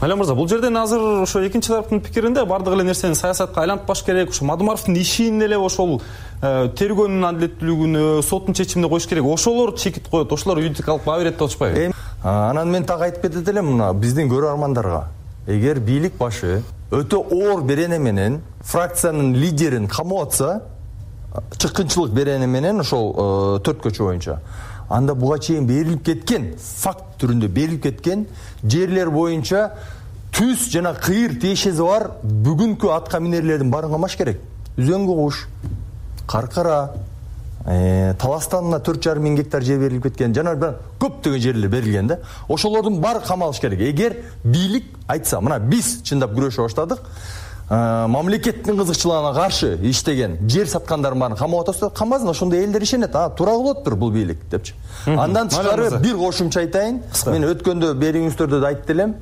Майлан мырза, бул жерден азыр ошо экинчи тараптын пикиринде бардык эле нерсени саясатка айлантпаш керек. Ошо Мадумаровдун ишин эле ошол тергөөнүн адилеттүүлүгүнө, соттун чечимине коюш керек. Ошолор чекит коет, ошолор юридикалык баа берет деп атышпайбы? Анан мен так айтып кетет элем мына биздин көрөрмандарга. Эгер бийлик башы өтө оор берене менен фракциянын лидерин камап атса, чыккынчылык берене менен ошол төрт көчө боюнча, анда буга чейин берилип кеткен, факт түрүндө берилип кеткен жерлер боюнча түз жана кыйыр тиешеси бар бүгүнкү атка минерлердин баарын камаш керек. Үзөңгү куш, Каркара, Таластанына төрт жарым миң гектар жер берилип кеткен, жана көптөгөн жерлер берилген да. Ошолордун баары камалыш керек. Эгер бийлик айтса, мына биз чындап күрөшө баштадык, мамлекеттин кызыкчылыгына каршы иштеген жер саткандардын баарын камап атса, камбасын, ошондой элдер ишенет. А, туура кылыптыр бул бийлик депчи. Андан тышкары бир кошумча айтайын. Мен өткөндө бериңиздөрдө да айтып элем.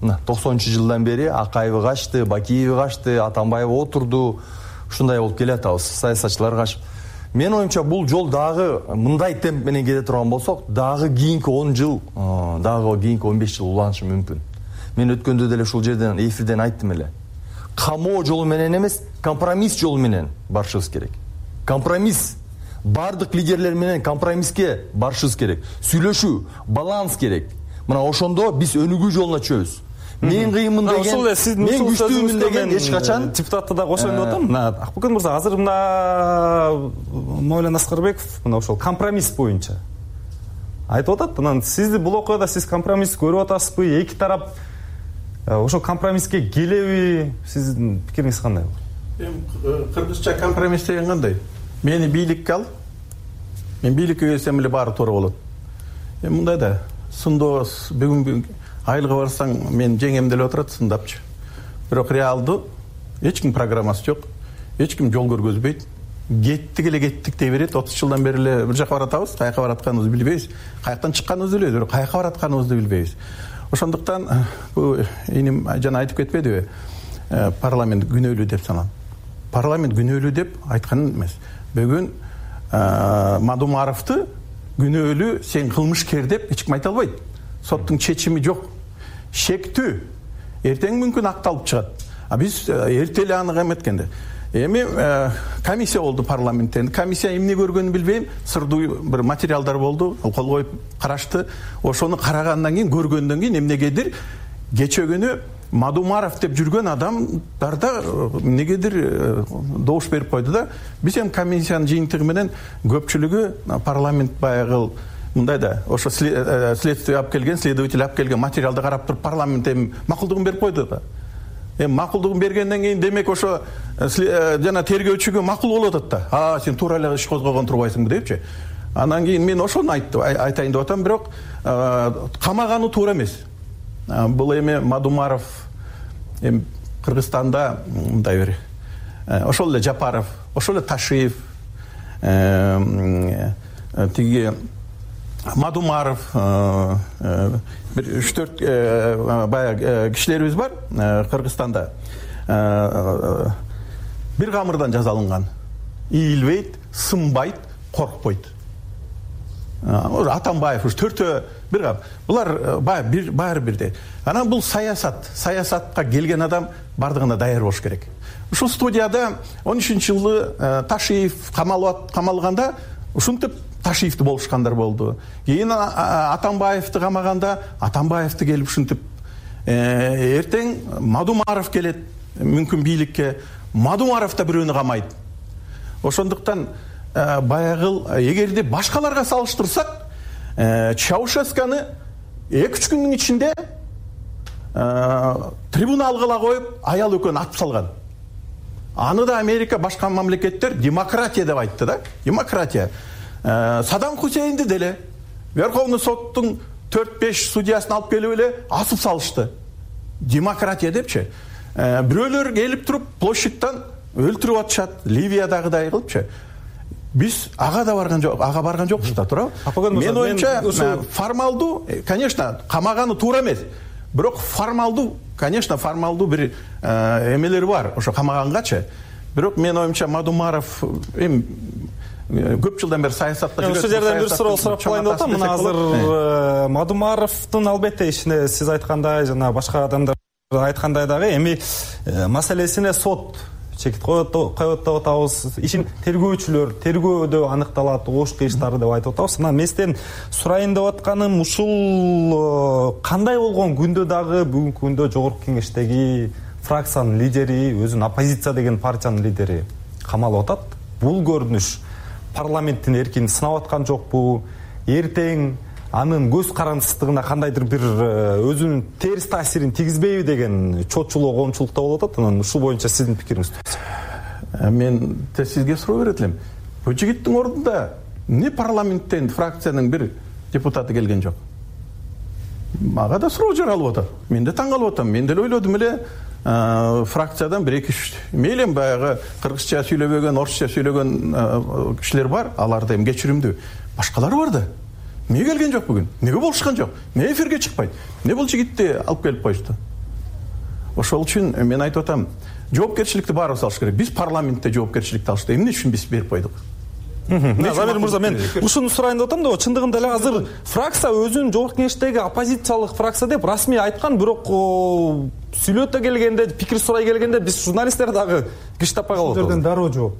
Мына токсонунчу жылдан бери Акаева качты, Бакиев качты, Атамбаев отурду. Ушундай болуп келатабыз, саясатчылар качып. Мен оюмча бул жол дагы мындай темп менен кете турган болсок, дагы кийинки он жыл, дагы кийинки он беш жыл уланышы мүмкүн. Мен өткөндө деле ушул жерден эфирден айттым эле. Камоо жолу менен эмес, компромисс жолу менен барышыбыз керек. Компромисс. Бардык лидерлер менен компромисске барышыбыз керек. Сүйлөшүү, баланс керек. Мына ошондо биз өнүгүү жолуна чөбүз. Мен кыйынмын деген, мен күчтүүмүн деген эч качан депутатты да кошоюн деп атам. Мына Акбүкөн мырза, азыр мына Мойлан Аскарбеков мына ошол компромисс боюнча айтып атат. Анан сизди бул окуяда сиз компромисс көрүп атасызбы? Эки тарап ошол компромисске келеби? Сиздин пикириңиз кандай? Эми кыргызча компромисс деген кандай? Мени бийликке ал, мен бийликке келсем эле баары туура болот. Эми мындай да, сындоос бүгүн айлыга барсаң мен жеңем деле отурат сындапчы. Бирок реалдуу эч ким программасы жок, эч ким жол көргөзбөйт. Кеттик эле кеттик дей берет. отуз жылдан бери эле бир жака баратабыз, каяка баратканыбызды билбейбиз. Каяктан чыкканыбызды билебиз, бирок каяка баратканыбызды билбейбиз. Ошондуктан бул иним жана айтып кетпедиби? Парламент күнөөлүү деп саналат. Парламент күнөөлүү деп айткан эмес. Бүгүн Мадумаровду күнөөлүү, сен кылмышкер деп эч ким айта албайт. Соттун чечими жок. Шектүү. Эртең мүмкүн акталып чыгат. А биз эрте эле аны эметкенде. Эми комиссия болду парламенттен. Комиссия эмне көргөнүн билбейм. Сырдуу бир материалдар болду. Кол коюп карашты. Ошону карагандан кийин, көргөндөн кийин эмнегедир кече күнү Мадумаров деп жүргөн адамдарда эмнегедир добуш берип койду да. Биз эми комиссиянын жыйынтыгы менен көпчүлүгү парламент баягы мындай да, ошо следствие алып келген, следователь алып келген материалды карап туруп парламент эми макулдугун берип койду да. Эми макулдугун бергенден кийин демек ошо жана тергөөчүгө макул болуп атат да. А, сен туура эле иш козгогон турбайсыңбы депчи. Анан кийин мен ошону айттым, айтайын деп атам, бирок камаганы туура эмес. Бул эми Мадумаров эми Кыргызстанда мындай бир ошол эле Жапаров, ошол эле Ташиев, тиги Мадумаров, бир үч төрт баягы кишилерибиз бар Кыргызстанда. Бир камырдан жазалынган. Ийилбейт, сынбайт, коркпойт. Атамбаев уж төртөө бир кам. Булар бир баары бирдей. Анан бул саясат, саясатка келген адам бардыгына даяр болуш керек. Ушул студияда он үчүнчү жылы Ташиев камалганда ушинтип Ташиевди болушкандар болду. Кийин Атамбаевди камаганда Атамбаевди келип ушинтип, эртең Мадумаров келет мүмкүн бийликке, Мадумаров да бирөөнү камайт. Ошондуктан баягыл эгерде башкаларга салыштырсак, Чаушесканы эки үч күндүн ичинде трибуналга коюп, аял экөөнү атып салган. Аны да Америка, башка мамлекеттер демократия деп айтты да. Демократия. Саддам Хусейнди деле Верховный соттун төрт беш судьясын алып келип эле асып салышты. Демократия депчи. Бирөөлөр келип туруп площадьтан өлтүрүп атышат, Ливиядагыдай кылыпчы. Биз ага да барган жок, ага барган жокпуз да, туурабы? Мен оюмча формалдуу, конечно, камаганы туура эмес. Бирок формалдуу, конечно, формалдуу бир эмелери бар, ошо камагангачы. Бирок мен оюмча Мадумаров эми көп жылдан бери саясатта жүрөт. Ошол жерден бир суроо сурап коеюн деп атам. Мына азыр Мадумаровдун албетте ишине сиз айткандай жана башка адамдар айткандай дагы эми маселесине сот чекит коет деп атабыз. Ишин тергөөчүлөр тергөөдө аныкталат, ош кыйыштары деп айтып атабыз. Анан менден сурайын деп атканым ушул кандай болгон күндө дагы бүгүнкү күндө жогорку кеңештеги фракциянын лидери, өзүн оппозиция деген партиянын лидери камалып атат. Бул көрүнүш парламенттин эркин сынап аткан жокпу? Эртең анын көз карандысыздыгына кандайдыр бир өзүнүн терс таасирин тийгизбейби деген чотчулоо коомчулукта болуп атат. Анан ушул боюнча сиздин пикириңизди берсеңиз. Мен сизге суроо берет элем. Бул жигиттин ордунда эмне парламенттен фракциянын бир депутаты келген жок? Мага да суроо жаралып атат. Мен да таң калып атам. Мен деле ойлодум эле фракциядан бир эки үч мейлен баягы кыргызча сүйлөбөгөн, орусча сүйлөгөн кишилер бар, алар да эми кечиримдүү. Башкалары бар да. Эмне келген жок бүгүн? Эмнеге болушкан жок? Эмне эфирге чыкпайт? Эмне бул жигитти алып келип коюшту? Ошол үчүн мен айтып атам, жоопкерчиликти баарыбыз алыш керек. Биз парламентте жоопкерчиликти алышты. Эмне үчүн биз берип койдук? Замир мырза, мен ушуну сурайын деп атам да, чындыгында эле азыр фракция өзүн жогорку кеңештеги оппозициялык фракция деп расмий айткан, бирок сүйлөтө келгенде, пикир сурай келгенде биз журналисттер дагы киш таппай калып атабыз. Сиздерден дароо жооп.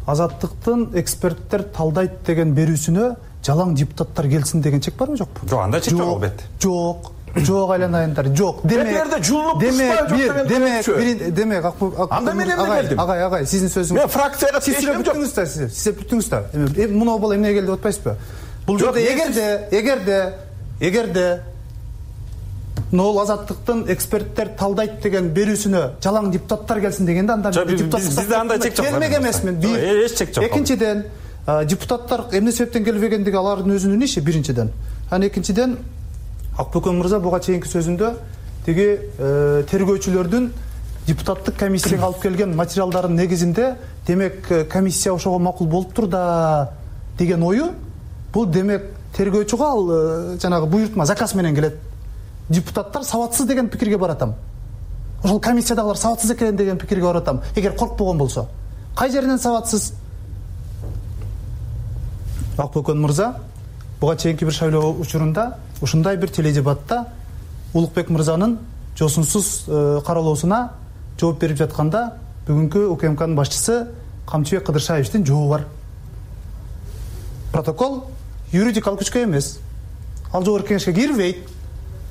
Азаттыктын эксперттер талдайт деген берүүсүнө жалаң депутаттар келсин деген чек барбы жокпу? Жок, андай чек жок албетте. Жок. Жок айланайындар. Жок. Демек, демек, бир, демек, демек, анда мен эмне келдим? Агай, агай, сиздин сөзүңүз. Мен фракцияга тиешем жок. Сиз бүтүңүз да. Эми муну бала эмне келди деп атпайсызбы? Бул жерде эгерде, эгерде, эгерде Нол азаттыктын эксперттер талдайт деген берүүсүнө жалаң депутаттар келсин дегенде анда депутаттар бизде андай чек жок. Келмек эмесмин. Эч чек жок. Экинчиден, депутаттар эмне себептен келбегендиги алардын өзүнүн иши биринчиден. Анан экинчиден Акбөкөн мырза буга чейинки сөзүндө тиги тергөөчүлөрдүн депутаттык комиссияга алып келген материалдардын негизинде демек комиссия ошого макул болуптур да деген ою, бул демек тергөөчүгө ал жанагы буйртма, заказ менен келет. Депутаттар сабатсыз деген пикирге баратам. Ошол комиссиядагылар сабатсыз экен деген пикирге баратам. Эгер коркпогон болсо, кай жеринен сабатсыз? Акбөкөн мырза буга чейинки бир шайлоо учурунда ушундай бир теледебатта Улукбек мырзанын жосунсуз каралоосуна жооп берип жатканда бүгүнкү УКМКнын башчысы Камчыбек Кыдыршаевичтин жообу бар. Протокол юридикалык күчкө эмес. Ал жогорку кеңешке кирбейт.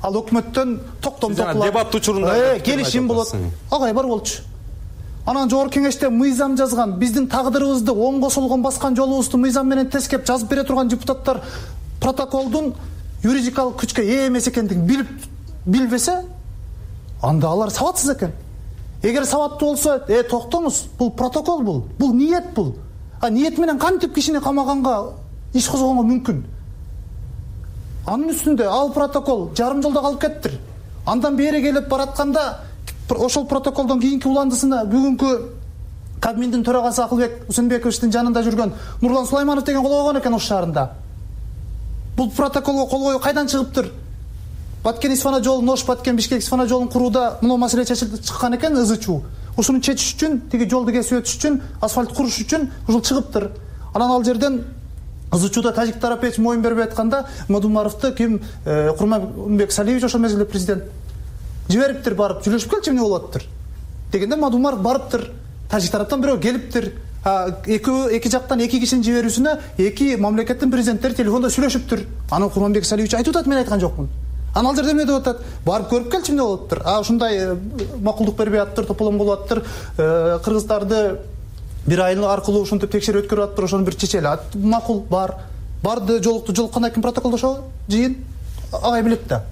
Ал өкмөттөн токтом токулат. Дебат учурунда келишим болот. Агай бар болчу. Анан жогорку кеңеште мыйзам жазган, биздин тагдырыбызды оңго солгон баскан жолубузду мыйзам менен тескеп жазып бере турган депутаттар протоколдун юридикалык күчкө ээ эмес экендигин билип билбесе, анда алар сабатсыз экен. Эгер сабаттуу болсо, э токтоңуз, бул протокол бул, бул ниет бул. А ниет менен кантип кишини камаганга иш козгонго мүмкүн? Анын үстүндө ал протокол жарым жолдо калып кеттир. Андан бери келип баратканда ошол протоколдон кийинки уландысына бүгүнкү Кабминдин төрагасы Акылбек Усенбековичтин жанында жүргөн Нурлан Сулайманов деген кол койгон экен ош шаарында. Бул протоколго кол коюу кайдан чыгыптыр? Баткен-Исфана жолун, Ош Баткен Бишкек-Исфана жолун курууда мына маселе чечилип чыккан экен, ызычуу. Ушуну чечиш үчүн, тиги жолду кесип өтүш үчүн, асфальт куруш үчүн ушул чыгыптыр. Анан ал жерден ызычууда тажик тарап эч моюн бербей атканда Мадумаровду ким, Курманбек Салиевич ошол мезгилде президент жибериптир, барып сүйлөшүп келчи эмне болуп атыптыр дегенде Мадумаров барыптыр. Тажик тараптан бирөө келиптир. Эки эки жактан эки кишинин жиберүүсүнө эки мамлекеттин президенттери телефондо сүйлөшүптүр. Анан Курманбек Салиевич айтып атат, мен айткан жокмун. Анан ал жерде эмне деп атат? Барып көрүп келчи эмне болуп атыптыр. А ушундай макулдук бербей атыптыр, тополом болуп атыптыр. Кыргыздарды бир айыл аркылуу ушинтип текшерип өткөрүп атыптыр, ошону бир чечели. Макул бар. Барды жолукту, жолуккандан кийин протоколдошобу? Жыйын агай билет да.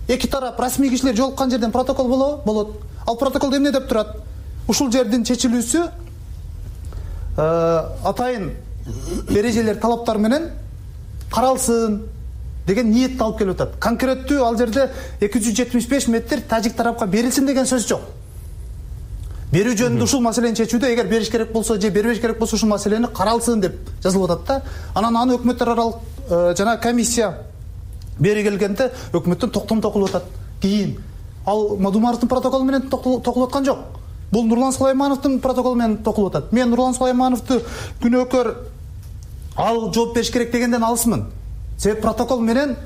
Эки тарап расмий кишилер жолуккан жерден протокол болобу? Болот. Ал протоколдо эмне деп турат? Ушул жердин чечилүүсү атайын эрежелер, талаптар менен каралсын деген ниетти алып келип атат. Конкреттүү ал жерде эки жүз жетимиш беш метр тажик тарапка берилсин деген сөз жок. Берүү жөнүндө ушул маселени чечүүдө эгер бериш керек болсо же бербеш керек болсо ушул маселени каралсын деп жазылып атат да. Анан аны өкмөттөр аралык жана комиссия бери келгенде өкмөттөн токтом токулуп атат. Кийин ал Мадумаровдун протоколу менен токулуп аткан жок. Бул Нурлан Сулаймановдун протоколу менен токулуп атат. Мен Нурлан Сулаймановду күнөөкөр ал жооп бериш керек дегенден алысмын. Себеп протокол менен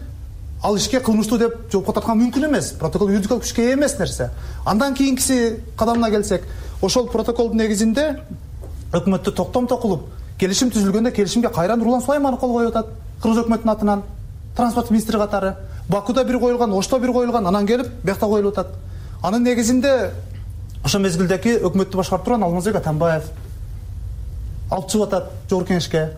ал ишке кылмыштуу деп жоопко тарткан мүмкүн эмес. Протокол юридикалык күчкө ээ эмес нерсе. Андан кийинкиси кадамына келсек, ошол протоколдун негизинде өкмөттө токтомдо кылып келишим түзүлгөндө келишимге кайра Нурлан Сулайманов кол коюп атат кыргыз өкмөтүнүн атынан транспорт министри катары. Бакуда бир коюлган, Ошто бир коюлган, анан келип биякта коюлуп атат. Анын негизинде ошол мезгилдеги өкмөттү башкарып турган Алмазбек Атамбаев алып чыгып атат жогорку кеңешке.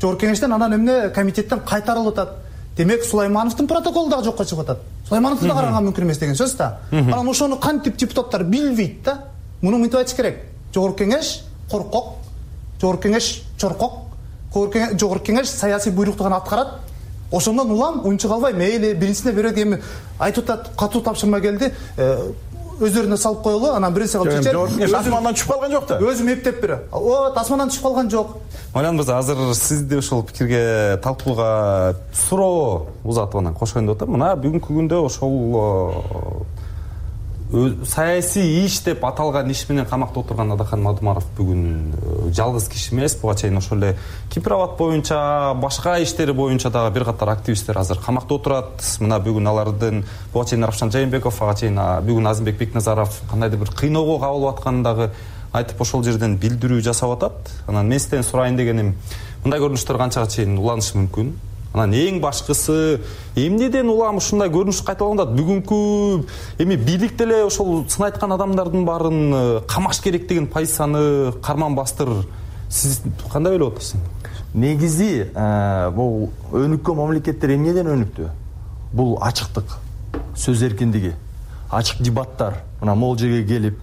Жогорку кеңештен анан эмне комитеттен кайтарылып атат. Демек Сулаймановдун протоколу дагы жокко чыгып атат. Сулаймановду да караганга мүмкүн эмес деген сөз да. Анан ошону кантип депутаттар билбейт да. Муну мынтип айтыш керек. Жогорку кеңеш коркок, жогорку кеңеш чоркок, жогорку кеңеш саясий буйрукту гана аткарат. Ошондон улам унчук албай мейли биринчисине берет эми айтып атат, катуу тапшырма келди, өздөрүнө салып коелу, анан биринчи кылып чечет. Жогорку кеңеш асмандан түшүп калган жок да. Өзүм эптеп берем. О, асмандан түшүп калган жок. Майлан мырза, азыр сизди ошол пикирге талкууга суроо узатып анан кошоюн деп атам. Мына бүгүнкү күндө ошол саясий иш деп аталган иш менен камакта отурган Адахан Мадумаров бүгүн жалгыз киши эмес. Буга чейин ошол эле Кипровод боюнча, башка иштери боюнча дагы бир катар активисттер азыр камакта отурат. Мына бүгүн алардын буга чейин Равшан Жайымбеков, ага чейин бүгүн Азимбек Бекназаров кандайдыр бир кыйноого кабылып атканын дагы айтып ошол жерден билдирүү жасап атат. Анан мен сизден сурайын дегеним, мындай көрүнүштөр канчага чейин уланышы мүмкүн? Анан эң башкысы эмнеден улам ушундай көрүнүш кайталанат? Бүгүнкү эми бийлик деле ошол сын айткан адамдардын баарын камаш керек деген позицияны карман бастыр. Сиз кандай ойлоп атасыз? Негизи бул өнүккөн мамлекеттер эмнеден өнүктү? Бул ачыктык, сөз эркиндиги, ачык дебаттар. Мына могул жерге келип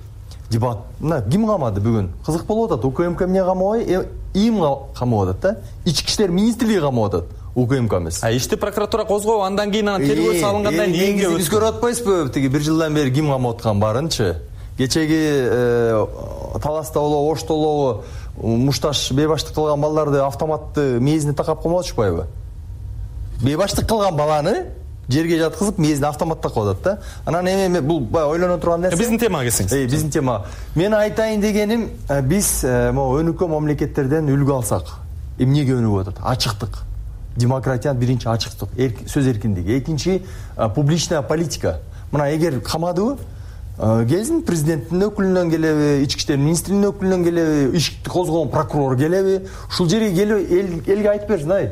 дебат. Мына ким камады бүгүн? Кызык болуп атат. УКМК эмне камабай, ИИМ камап атат да. Ички иштер министрлиги камап атат. УКМК эмес. А ишти прокуратура козгоп, андан кийин анан тергөө салынгандан кийин биз көрүп атпайсызбы? Тиги бир жылдан бери ким камап аткан барынчы? Кечеги Таласта болобу, Ошто болобу, мушташ бейбаштык кылган балдарды автоматты мээзине такап коймой атышпайбы? Бейбаштык кылган баланы жерге жаткызып мээзине автомат такап атат да. Анан эми бул ойлоно турган нерсе. Биздин темага келсеңиз. Э, биздин тема. Мен айтайын дегеним, биз могу өнүккөн мамлекеттерден үлгү алсак, эмнеге өнүгүп атат? Ачыктык. Демократиянын биринчи ачыктык, сөз эркиндиги. Экинчи публичная политика. Мына эгер камадыбы, келсин президенттин өкүлүнөн келеби, ички иштер министринин өкүлүнөн келеби, ишти козгогон прокурор келеби, ушул жерге келип элге айтып берсин, ай,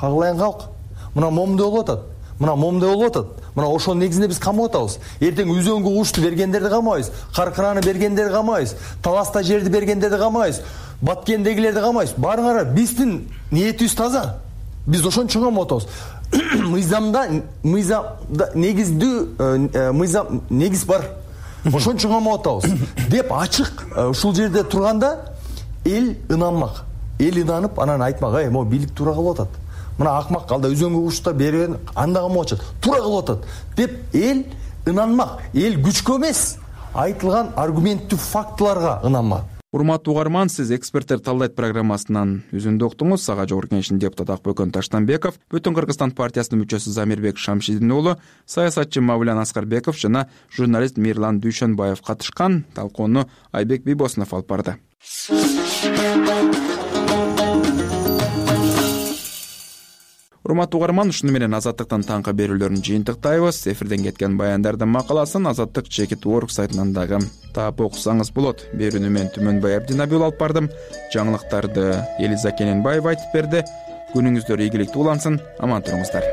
кагылайын калк. Мына момундай болуп атат. Мына момундай болуп атат. Мына ошонун негизинде биз камап атабыз. Эртең Үзөңгү кушту бергендерди камайбыз, Каркыраны бергендерди камайбыз, Таласта жерди бергендерди камайбыз, Баткендегилерди камайбыз. Барыңар, биздин ниетибиз таза. Биз ошон үчүн камап атабыз. Мыйзамда, мыйзамда негиздүү мыйзам негиз бар. Ошон үчүн камап атабыз деп ачык ушул жерде турганда эл ынанмак. Эл ынанып, анан айтмак, ай, могу бийлик туура кылып атат. Мына акмак алда Үзөңгү куштар берген, анда камап атат. Туура кылып атат деп эл ынанмак. Эл күчкө эмес, айтылган аргументтүү фактыларга ынанмак. Урматтуу угарман, сиз эксперттер талдайт программасынан үзүндү уктуңуз. Сага жогорку кеңештин депутаты Акбөкөн Таштанбеков, Бүтүн Кыргызстан партиясынын мүчөсү Замирбек Шамшидин уулу, саясатчы Мавлян Аскарбеков жана журналист Мирлан Дүйшөнбаев катышкан. Талкууну Айбек Бийбосунов алып барды. Урматтуу угарман, ушуну менен Азаттыктын таңкы берүүлөрүн жыйынтыктайбыз. Эфирден кеткен баяндардын макаласын Азаттык чекит орг сайтынан дагы таап окусаңыз болот. Берүүнү мен Түмөнбай Абдинабиул алып бардым. Жаңылыктарды Элиза Кененбаева айтып берди. Күнүңүздөр ийгиликтүү улансын. Аман туруңуздар.